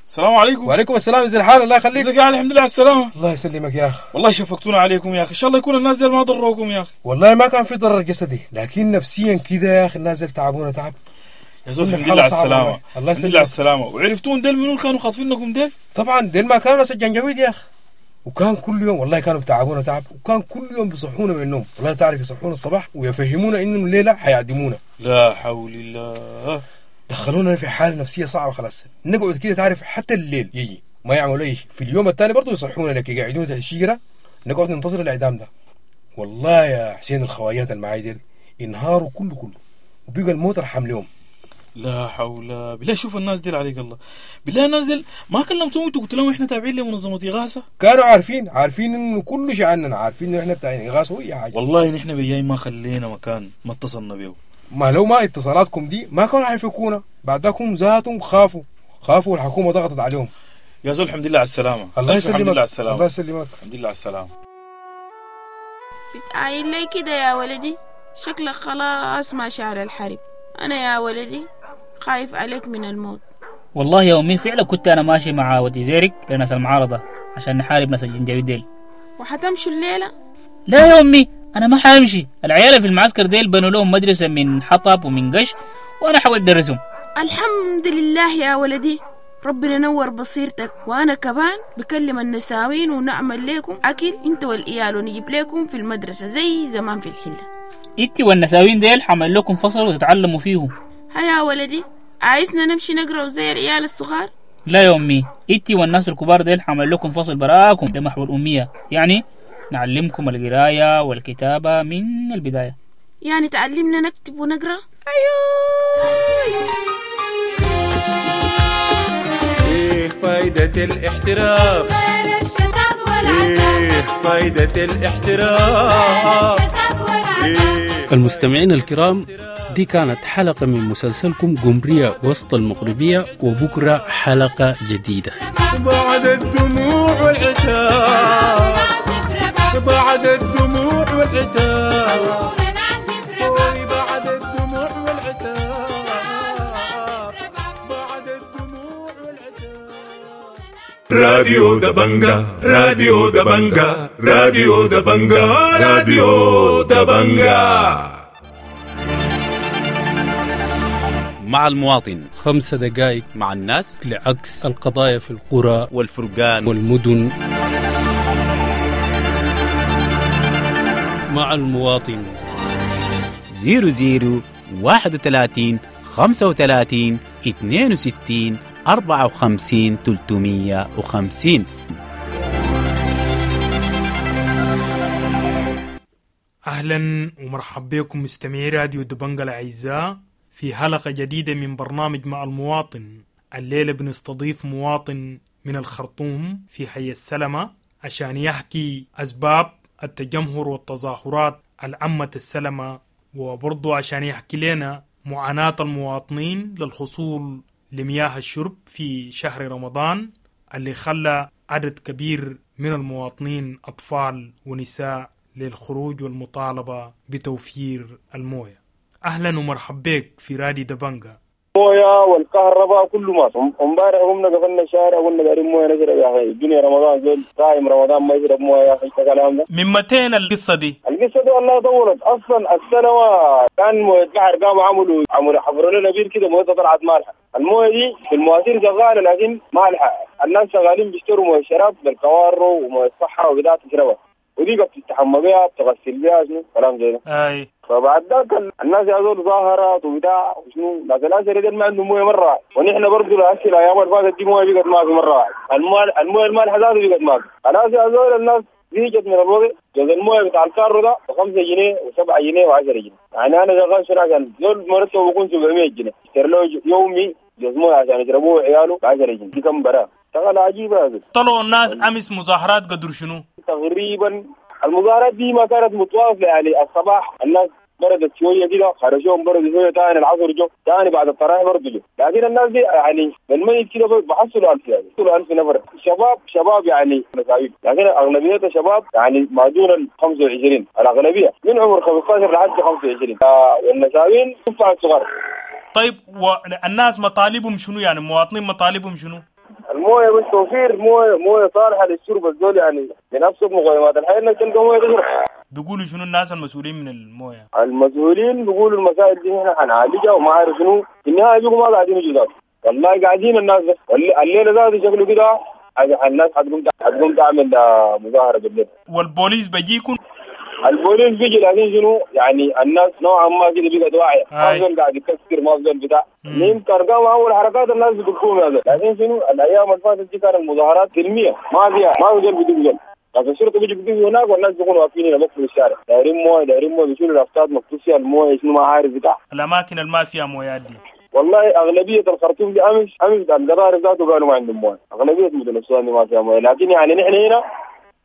السلام عليكم. وعليكم السلام، ازي الحال؟ الله يخليك. ازيك يا علي؟ الحمد لله على السلامة. الله يسلمك يا اخي. والله شفقتونا عليكم يا اخي، ان شاء الله يكون الناس ديل ما ضروكم يا اخي. والله ما كان في ضرر جسدي، لكن نفسيا كده يا اخي الناس ديل تعبونا تعب. يا زول الحمد لله على السلامة. الله يسلمك. الحمد لله على السلامة. وعرفتون ديل منو كانوا خاطفينكم ديل؟ طبعا ديل ما كانوا ناس الجنجويد يا اخي، وكان كل يوم والله كانوا بتعبونا تعب، وكان كل يوم بيصحونا من النوم، والله تعرف يصحونا الصباح ويفهمونا انه الليلة حيعدمونا. لا حول الله. دخلونا في حالة نفسية صعبة خلاص، نقعد كده تعرف حتى الليل يجي ما يعملوا اي شيء. في اليوم الثاني برضه يصحونا لك يقعدونا تحت الشجرة، نقعد ننتظر الإعدام ده. والله يا حسين الخوايات المعاي ديل انهاروا كله كله، وبقى الموت ارحم لهم. لا حول. بالله شوف الناس ديل عليك الله، بالله الناس ديل ما كلمتهم انتوا قلت لهم احنا تابعين لمنظمة إغاثة؟ كانوا عارفين، عارفين انه كل شيء عننا، عارفين انه احنا بتاعين إغاثة واي حاجة. والله نحن بجاي ما خلينا مكان ما اتصلنا بيه. ما لو ما اتصالاتكم دي ما كانوا حيفكونا، بعدكم ذاتهم خافوا خافوا والحكومة ضغطت عليهم. يا زول الحمد لله على السلامة. الله يسلمك. الحمد لله على السلامة. الله يسلمك. الحمد لله على السلامة. بتعاين لي كده يا ولدي، شكلك خلاص ما شعر الحرب. أنا يا ولدي خايف عليك من الموت. والله يا أمي فعلا كنت أنا ماشي مع ودي زيرك لناس المعارضة عشان نحارب ناس الجنجويد ديل. وحتمشوا الليلة؟ لا يا أمي أنا ما حامشي، العيال في المعسكر ديل بنوا لهم مدرسة من حطب ومن قش، وأنا حاولت أدرسهم. الحمد لله يا ولدي، ربنا نور بصيرتك. وأنا كمان بكلم النساوين ونعمل لكم أكل أنت والإيال، ونجيب لكم في المدرسة زي زمان في الحلة. إنت والنساوين ديل حمل لكم فصل وتتعلموا فيه. هيا ولدي، عايزنا نمشي نقرأ زي العيال الصغار؟ لا يا أمي، إنت والناس الكبار ديل حمل لكم فصل براكم لمحو الأمية، يعني نعلمكم القراية والكتابة من البداية. يعني تعلمنا نكتب ونقرأ؟ أيوه. إيه فايدة الاحترام؟ إيه فايدة الاحترام؟ المستمعين الكرام، دي كانت حلقة من مسلسلكم قمرية وسط المغربية، وبكرة حلقة جديدة. بعد الدموع والعتاب، بعد الدموع والعتاب، بعد الدموع والعتاب، بعد الدموع والعتاب. راديو دبنجا، راديو دبنجا، راديو دبنجا، راديو دبنجا. مع المواطن خمسة دقائق مع الناس لعكس القضايا في القرى والفرقان والمدن. مع المواطن زيرو زيرو واحد وثلاثين خمسة وثلاثين اثنين وستين أربعة وخمسين ثلاثمية وخمسين. أهلا ومرحبا بكم مستمعي راديو دبنجا الأعزاء في حلقة جديدة من برنامج مع المواطن. الليلة بنستضيف مواطن من الخرطوم في حي السلمة عشان يحكي أسباب التجمهر والتظاهرات العامة السلمة، وبرضو عشان يحكي لنا معاناة المواطنين للحصول لمياه الشرب في شهر رمضان اللي خلى عدد كبير من المواطنين أطفال ونساء للخروج والمطالبة بتوفير الموية. أهلا ومرحبا بك في رادي دبنجا. مويه والكهرباء كله ما امبارح قمنا قفلنا الشارع قلنا دايرين مويه نشرب يا اخي، الدنيا رمضان زول صايم رمضان ما يشرب مويه يا اخي، الكلام ده من متين القصة دي؟ القصة دي والله طولت اصلا. السنة كان مويه البحر قاموا عملوا عملوا حفروا لنا بير كده، مويتها طلعت مالحة. المويه دي في المواسير شغالة لكن مالحة، الناس شغالين بيشتروا مويه شراب بالكوارو ومويه صحة وبتاع تشربها، ودي بتستحمى بيها بتغسل بيها شنو كلام زي ده. اي فبعد ذاك الناس يا زول ظاهرات وبتاع وشنو، لكن الاسر دي ما عندهم مويه مرة، ونحن برضه هسه الايام اللي فاتت دي مويه بقت ما في مرة واحدة، المويه المويه المالحه ذاته بقت ما في. خلاص يا زول الناس زهقت من الوضع. جوز المويه بتاع الكارو ده ب خمسة جنيه وسبعة جنيه وعشرة جنيه، يعني انا شغال شنو عشان زول مرتبه بيكون سبعمية جنيه، اشتري له يومي جوز مويه عشان يشربوه عياله ب عشرة جنيه، دي كم براه شغله عجيبة هذا. طلعوا الناس امس مظاهرات قدر شنو؟ تقريبا المظاهرات دي ما كانت متواصلة، يعني الصباح الناس بردت شوية كده خرجوهم، بردوا شوية ثاني العصر جو، ثاني بعد التراويح برضه جو، لكن الناس دي يعني بالميت كده بحصلوا ألف، يعني بحصلوا ألف نفر شباب شباب يعني مساويين، لكن اغلبيتها شباب يعني ما دون ال خمسة وعشرين، الاغلبية من عمر خمسة عشر لحد خمسة وعشرين، آه والنساوين تفع الصغار. طيب والناس مطالبهم شنو؟ يعني المواطنين مطالبهم شنو؟ المويه بس توفير مويه مويه صالحه للشرب الزول، يعني من ابسط مقومات الحياة انك تلقى مويه تشرب. بيقولوا شنو الناس المسؤولين من المويه؟ المسؤولين بيقولوا المسائل دي احنا حنعالجها وما عارف شنو، في النهاية بيقولوا ما قاعدين يجوا ذاته، والله قاعدين الناس بس الليلة ذاته شكله كده الناس حتقوم حتقوم تعمل مظاهره بالليل. والبوليس بيجيكم؟ البوليس بيجي لكن شنو يعني الناس نوعا ما كده بقت واعية، ما زول قاعد يكسر، ما زول بتاع يمكن قاموا اول حركات الناس بتقوم هذا، لكن شنو الايام اللي فاتت دي كان المظاهرات سلمية، ما فيها ما في زول بدق زول، لكن الشرطة بيجي بدق هناك والناس بيكونوا واقفين هنا بقفلوا الشارع، دايرين مويه دايرين مويه، بيشيلوا لافتات مكتوب فيها المويه شنو ما عارف بتاع. الاماكن اللي ما فيها مويات دي والله اغلبية الخرطوم دي امس امس القضارف ذاته قالوا ما عندهم مويه، اغلبية مدن السودان دي ما فيها مويه، لكن يعني نحن هنا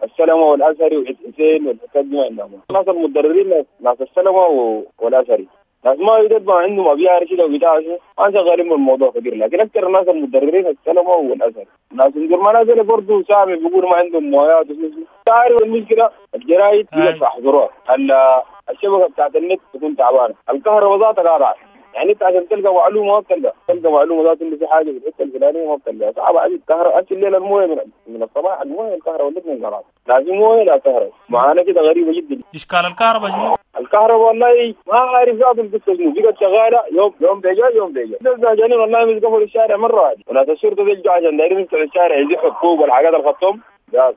السلمة والأزهري والحسين والحسين دي ما عندهم. الناس المتضررين ناس السلمة والأزهري، ناس ما يدد ما عندهم أبيار كده وبتاع ما شغالين بالموضوع كثير، لكن أكثر الناس المتضررين السلمة والأزهري. ناس ما نازل برضه سامي بيقولوا ما عندهم مويات وشنو. تعرف المشكلة الجرايد بيقفوا يحضروها، الشبكة بتاعت النت تكون تعبانة، الكهرباء ذاتها قاطعة، يعني انت عشان تلقى معلومة ما بتلقى، تلقى معلومة ذات انه في حاجة في الحتة الفلانية ما بتلقاها، صعبة عديد. الكهرباء هسه الليلة المويه من, من الصباح المويه الكهرباء الاثنين قطعت، لا في مويه لا كهرباء، معانا كده غريبة جدا. اشكال الكهرباء شنو؟ الكهرباء والله ما عارف ذات القصة شنو، بقت شغالة يوم يوم بيجا يوم بيجا، زهجانين والله مش قفلوا الشارع مرة واحدة، وناس الشرطة بيجوا عشان دايرين يفتحوا الشارع يزحوا الطوب والحاجات الخطوم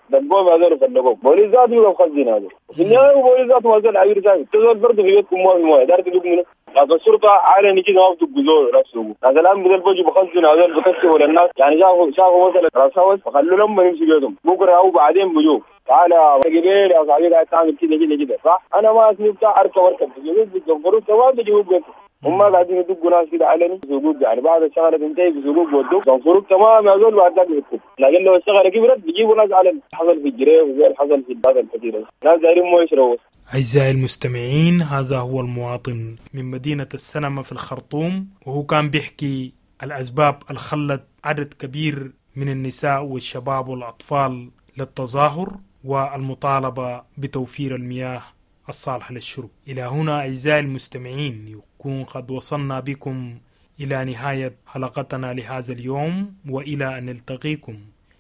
دقوهم هذول فلقوهم، بوليس ذاته بيبقى مخزن هذول، في النهاية بوليس ذاته ما زال عبير ساكت، تزول برضه في بيتكم ما في مويه، داير تدق منه؟ ناس الشرطة علني كده ما بتدقوا زول نفسه، ناس الأمن دول بيجوا بخزنوا هذول بكشفوا للناس، يعني شافوا شافوا مثلا راس هوس فخلوا لهم يمشوا بيتهم، بكرة أو بعدين بيجوا تعال يا قبيل يا صاحبي قاعد تعمل كده كده كده صح؟ أنا ما اسمي بتاع أركب أركب بيجوا بيتزنفروا تمام بيجوا بيتهم، هم قاعدين يدقوا ناس كده علني بسوقوك، يعني بعد الشغلة تنتهي بسوقوك بودوك زنفروك تمام يا زول بعد ذاك بيفكوك، لكن لو الشغلة كبرت بيجيبوا ناس علني، حصل في الجريف وزي حصل في البلد الكثيرة، ناس دايرين مو يشربوا. أعزائي المستمعين، هذا هو المواطن من مدينة السنمة في الخرطوم، وهو كان بيحكي الأسباب اللي خلت عدد كبير من النساء والشباب والأطفال للتظاهر والمطالبة بتوفير المياه الصالحة للشرب. إلى هنا أعزائي المستمعين يكون قد وصلنا بكم إلى نهاية حلقتنا لهذا اليوم، وإلى أن نلتقيكم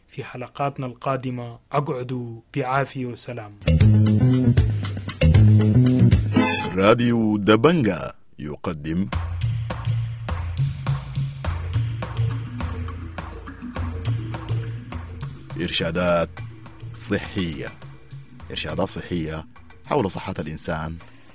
في حلقاتنا القادمة، أقعدوا بعافية وسلام. راديو دبنجا يقدم إرشادات صحية، إرشادات صحية حول صحة الإنسان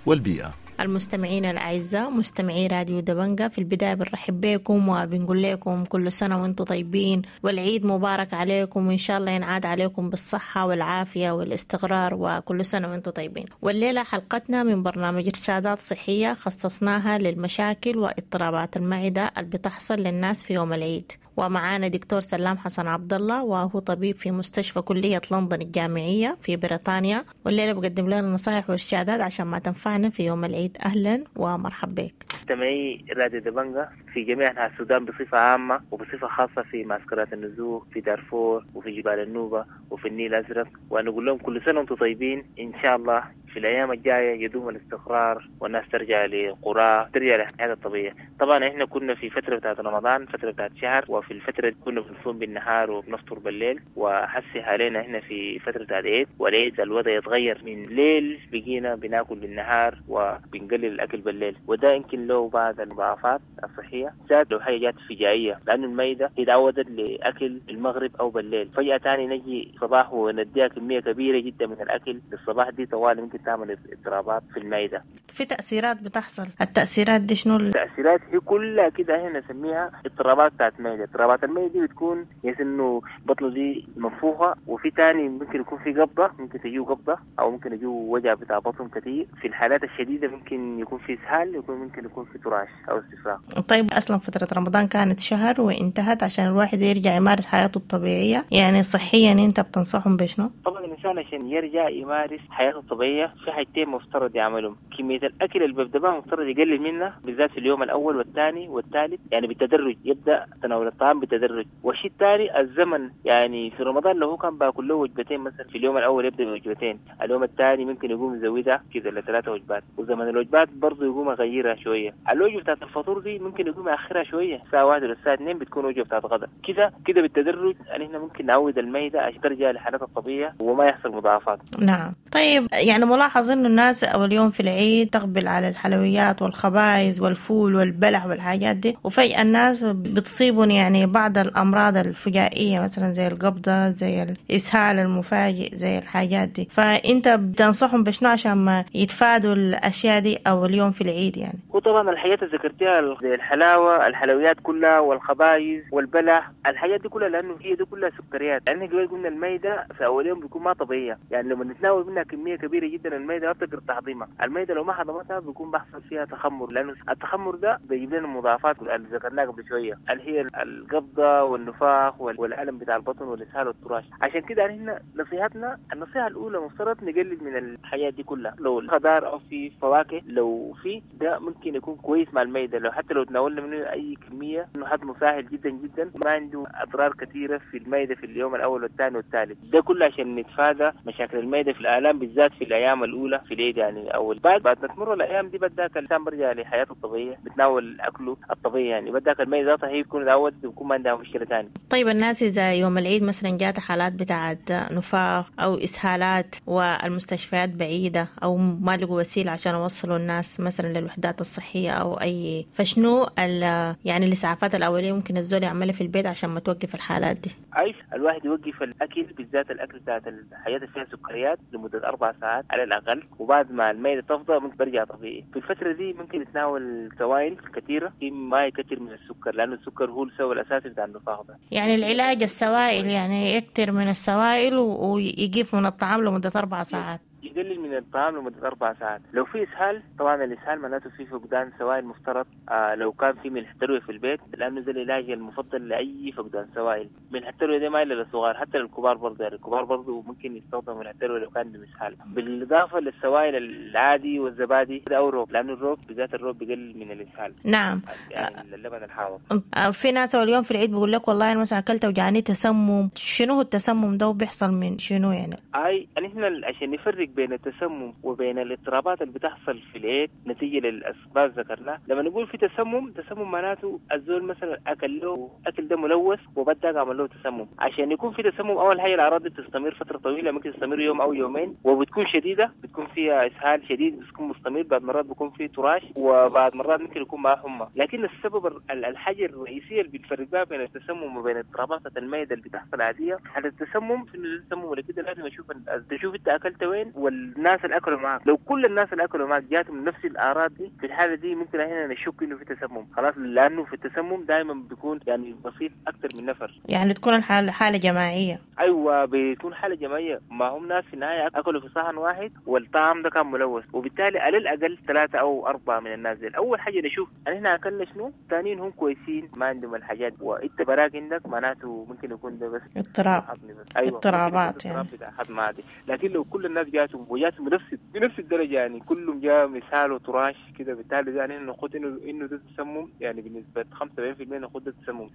والبيئة. المستمعين الأعزاء مستمعي راديو دبنجا، في البداية بنرحب بكم وبنقول لكم كل سنة وانتم طيبين والعيد مبارك عليكم، وإن شاء الله ينعاد عليكم بالصحة والعافية والاستقرار، وكل سنة وانتم طيبين. والليلة حلقتنا من برنامج إرشادات صحية خصصناها للمشاكل واضطرابات المعدة اللي بتحصل للناس في يوم العيد، ومعانا دكتور سلام حسن عبد الله، وهو طبيب في مستشفى كلية لندن الجامعية في بريطانيا، والليلة بقدم لنا نصائح وإرشادات عشان ما تنفعنا في يوم العيد. أهلا ومرحبا بك. مستمعي راديو دبنجة في جميع أنحاء السودان بصفة عامة وبصفة خاصة في معسكرات النزوح في دارفور وفي جبال النوبة وفي النيل الأزرق، ونقول لهم كل سنة وأنتم طيبين. إن شاء الله في الأيام الجاية يدوم الاستقرار والناس ترجع لقرى، ترجع لحياتها الطبيعية. طبعا إحنا كنا في فترة بتاعت رمضان، فترة بتاعت شهر، وفي الفترة كنا بنصوم بالنهار وبنفطر بالليل، وحسي علينا إحنا في فترة بتاعت عيد، والعيد الوضع يتغير من ليل بقينا بناكل بالنهار وبنقلل الأكل بالليل، وده يمكن له بعض المضاعفات الصحية، زاد لو حاجة جات فجائية، لأنه الميدة اتعودت لأكل المغرب أو بالليل، فجأة تاني نجي صباح ونديها كمية كبيرة جدا من الأكل للصباح، دي طوال ممكن تعمل اضطرابات في المعدة. في تأثيرات بتحصل، التأثيرات دي شنو؟ التأثيرات هي كلها كده هنا نسميها اضطرابات بتاعت المعدة. اضطرابات المعدة دي بتكون يس انه بطنه دي منفوخة، وفي تاني ممكن يكون في قبضة، ممكن تجيه قبضة او ممكن يجيه وجع بتاع بطن كتير. في الحالات الشديدة ممكن يكون في اسهال، يكون ممكن يكون في تراش او استفراغ. طيب اصلا فترة رمضان كانت شهر وانتهت عشان الواحد يرجع يمارس حياته الطبيعية، يعني صحيا انت بتنصحهم بشنو؟ طبعا الانسان عشان يرجع يمارس حياته الطبيعية في حاجتين مفترض يعملهم. كمية الأكل اللي بيبدأ بها مفترض يقلل منها، بالذات في اليوم الأول والثاني والثالث، يعني بالتدرج يبدأ تناول الطعام بالتدرج. والشيء الثاني الزمن، يعني في رمضان لو هو كان باكل له وجبتين مثلا في اليوم الأول يبدأ بوجبتين، اليوم الثاني ممكن يقوم يزودها كذا لثلاثة وجبات، وزمن الوجبات برضه يقوم يغيرها شوية. الوجبة بتاعت الفطور دي ممكن يقوم يأخرها شوية، الساعة واحدة للساعة اثنين بتكون وجبة بتاعت غدا. كذا كذا بالتدرج يعني احنا ممكن نعود الميدة عشان ترجع لحالتها الطبيعية وما يحصل مضاعفات. نعم. طيب يعني ملاحظ إنه الناس أول يوم في العيد تقبل على الحلويات والخبائز والفول والبلح والحاجات دي، وفجأة الناس بتصيبهم يعني بعض الأمراض الفجائية مثلا زي القبضة، زي الإسهال المفاجئ، زي الحاجات دي، فأنت بتنصحهم بشنو عشان ما يتفادوا الأشياء دي أول يوم في العيد يعني؟ وطبعا الحاجات اللي ذكرتيها زي الحلاوة، الحلويات كلها والخبائز والبلح، الحاجات دي كلها لأنه هي دي كلها سكريات. لأن قبل قلنا الميدة في أول يوم بيكون ما طبيعية، يعني لما نتناول منها كمية كبيرة جدا الميدة ما بتقدر تهضمها، الميدة لو ما هضمتها بيكون بحصل فيها تخمر، لأنه التخمر ده بيجيب لنا مضاعفات اللي ذكرناها قبل شوية، اللي هي القبضة والنفاخ والألم بتاع البطن والإسهال والتراش. عشان كده احنا نصيحتنا، النصيحة الأولى مفترض نقلل من الحاجات دي كلها، لو خضار أو في فواكه لو في ده ممكن يكون كويس مع الميدة، لو حتى لو تناولنا منه أي كمية إنه هضمه سهل جدا جدا، ما عنده أضرار كثيرة في الميدة في اليوم الأول والثاني والثالث. ده كله عشان نتفادى مشاكل الميدة في الآلام بالذات في الأيام الأولى في العيد، يعني أول بعد بعد ما تمر الأيام دي بدأك الإنسان برجع لحياته الطبيعية، بتناول أكله الطبيعي، يعني بدأك الميدة ذاتها هي بتكون اتعودت وبيكون ما عندها مشكلة ثانية. طيب الناس إذا يوم العيد مثلا جات حالات بتاعت نفاخ أو إسهالات والمستشفيات بعيدة أو ما لقوا وسيلة عشان يوصلوا الناس مثلا للوحدات الصحية أو أي، فشنو يعني الإسعافات الأولية ممكن الزول يعملها في البيت عشان ما توقف الحالات دي؟ أي الواحد يوقف الأكل، بالذات الأكل بتاعت الحاجات اللي فيها سكريات لمدة أربع ساعات على الأقل، وبعد ما الميدة تفضى ممكن برجع طبيعي. في الفترة دي ممكن يتناول سوائل كثيرة، ما يكثر من السكر لأنه السكر هو السبب الأساسي بتاع النفاخ ده. يعني العلاج السوائل، يعني يكثر من السوائل ويقف من الطعام لمدة أربع ساعات. يقلل من الطعام لمدة أربع ساعات. لو في إسهال، طبعا الإسهال معناته في فقدان سوائل مفترض، آه لو كان في ملح تروي في البيت، لأنه ده العلاج المفضل لأي فقدان سوائل. ملح التروي ده ما إلا للصغار، حتى للكبار برضه، يعني الكبار برضه ممكن يستخدموا ملح التروي لو كان عندهم إسهال. بالإضافة للسوائل العادي والزبادي أو الروب، لأنه الروب بالذات الروب بيقلل من الإسهال. نعم. يعني اللبن الحامض. في ناس اليوم في العيد بيقول لك والله أنا مثلا أكلت وجاني تسمم، شنو هو التسمم ده وبيحصل من شنو يعني؟ أي نحن عشان نفرق بين التسمم وبين الاضطرابات اللي بتحصل في العيد نتيجة للأسباب ذكرناها. لما نقول في تسمم، تسمم معناته الزول مثلا أكل له أكل ده ملوث وبدأ عمل له تسمم. عشان يكون في تسمم أول حاجة الأعراض دي بتستمر فترة طويلة، ممكن تستمر يوم أو يومين، وبتكون شديدة، بتكون فيها إسهال شديد بتكون مستمر، بعد مرات بيكون في تراش، وبعد مرات ممكن يكون معه حمى. لكن السبب الحاجة الرئيسية اللي بتفرق بها بين التسمم وبين اضطرابات المعدة اللي بتحصل عادية، حالة التسمم في التسمم ولا كده لازم أشوف تشوف أنت أكلت وين والناس اللي اكلوا معك، لو كل الناس اللي اكلوا معك جاتهم نفس الاعراض دي، في الحالة دي ممكن هنا نشك انه في تسمم خلاص، لانه في التسمم دائما بيكون يعني بسيط اكثر من نفر، يعني تكون الحالة حاله جماعية. ايوه بيكون حاله جماعية، ما هم ناس في النهاية اكلوا في صحن واحد والطعام ده كان ملوث، وبالتالي على الاقل ثلاثة او اربعة من الناس دي. اول حاجة نشوف احنا اكلنا شنو، ثانيين هم كويسين ما عندهم الحاجات، وانت براك عندك معناته ممكن يكون ده بس اضطراب. أيوة اضطرابات يعني هضم عادي. لكن لو كل الناس جاتهم وجاتهم بنفس بنفس الدرجة، يعني كلهم جاء مثال وتراش كده، بالتالي يعني ناخذ انه انه ده تسمم، يعني بنسبة خمسة وسبعين بالمئة ناخذ ده تسمم.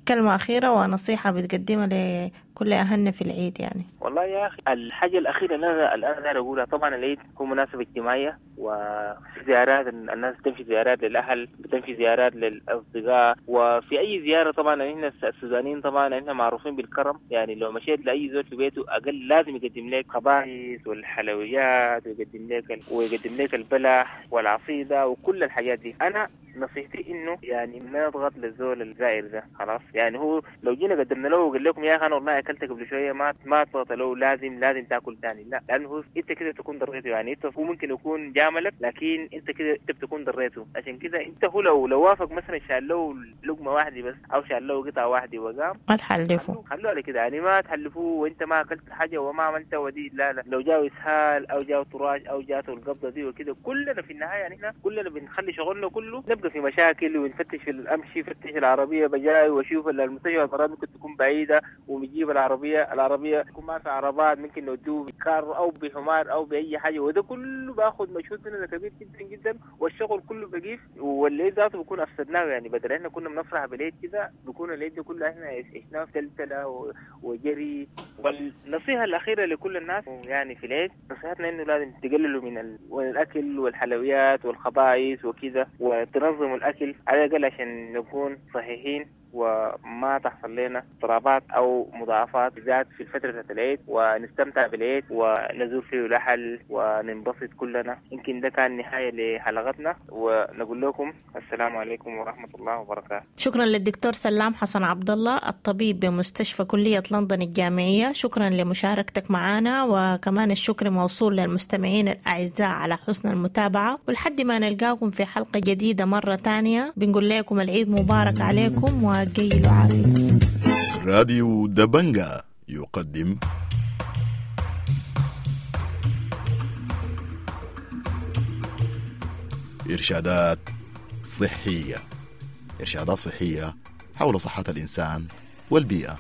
كلمة اخيرة ونصيحة بتقدمها لكل اهلنا في العيد يعني. والله يا اخي الحاجة الاخيرة اللي انا اللي انا داير اقولها، طبعا العيد هو مناسبة اجتماعية، وفي زيارات الناس بتمشي زيارات للاهل، بتمشي زيارات للاصدقاء، وفي اي زيارة طبعا احنا السودانيين طبعا احنا معروفين بالكرم، يعني لو مشيت لاي زول في بيته اقل لازم يقدم لك خبائث والحلويات، ويقدم لك ويقدم لك البلح والعصيده وكل الحاجات دي. انا نصيحتي انه يعني ما نضغط للزول الزائر ده خلاص، يعني هو لو جينا قدمنا له وقال لكم يا اخي انا والله اكلت قبل شوية، ما ما تضغط له لازم لازم تاكل ثاني، لا، لانه هو انت كده تكون ضريته، يعني انت هو ممكن يكون جاملك لكن انت كده انت بتكون ضريته. عشان كده انت هو لو لو وافق مثلا شال له لقمة واحدة بس او شال له قطعه واحدة وقام، ما تحلفه، خلوه على كده، يعني ما تحلفوه وانت ما اكلت حاجة وما عملت ودي، لا لا، لو جاء اسهال او جاء طراش او جاته القبضة دي وكده، كلنا في النهاية يعني احنا كلنا بنخلي شغلنا كله نبقى في مشاكل، ونفتش في الامشي فتش العربية بجاي واشوف المستشفى مرات ممكن تكون بعيدة، ونجيب العربية العربية يكون ما في عربات، ممكن نودوه بكار او بحمار او باي حاجة، وده كله باخذ مجهود مننا كبير جدا جدا، والشغل كله بقيف، والليل ذاته بيكون افسدناه، يعني بدل احنا كنا بنفرح بالعيد كده بيكون العيد ده كله احنا عشناه في تلتله وجري. والنصيحة الاخيرة لكل الناس يعني في العيد، نصيحتنا انه لازم تقللوا من ال... الاكل والحلويات والخبائث وكذا، وتنظموا الاكل على الاقل عشان نكون صحيحين وما تحصل لنا اضطرابات او مضاعفات بالذات في الفترة بتاعت العيد، ونستمتع بالعيد ونزور فيه الاهل وننبسط كلنا. يمكن ده كان نهاية لحلقتنا، ونقول لكم السلام عليكم ورحمة الله وبركاته. شكرا للدكتور سلام حسن عبد الله الطبيب بمستشفى كليه لندن الجامعية، شكرا لمشاركتك معنا، وكمان الشكر موصول للمستمعين الاعزاء على حسن المتابعة، ولحد ما نلقاكم في حلقة جديدة مرة ثانية بنقول لكم العيد مبارك عليكم و راديو دبنجا يقدم إرشادات صحية، إرشادات صحية حول صحة الإنسان والبيئة.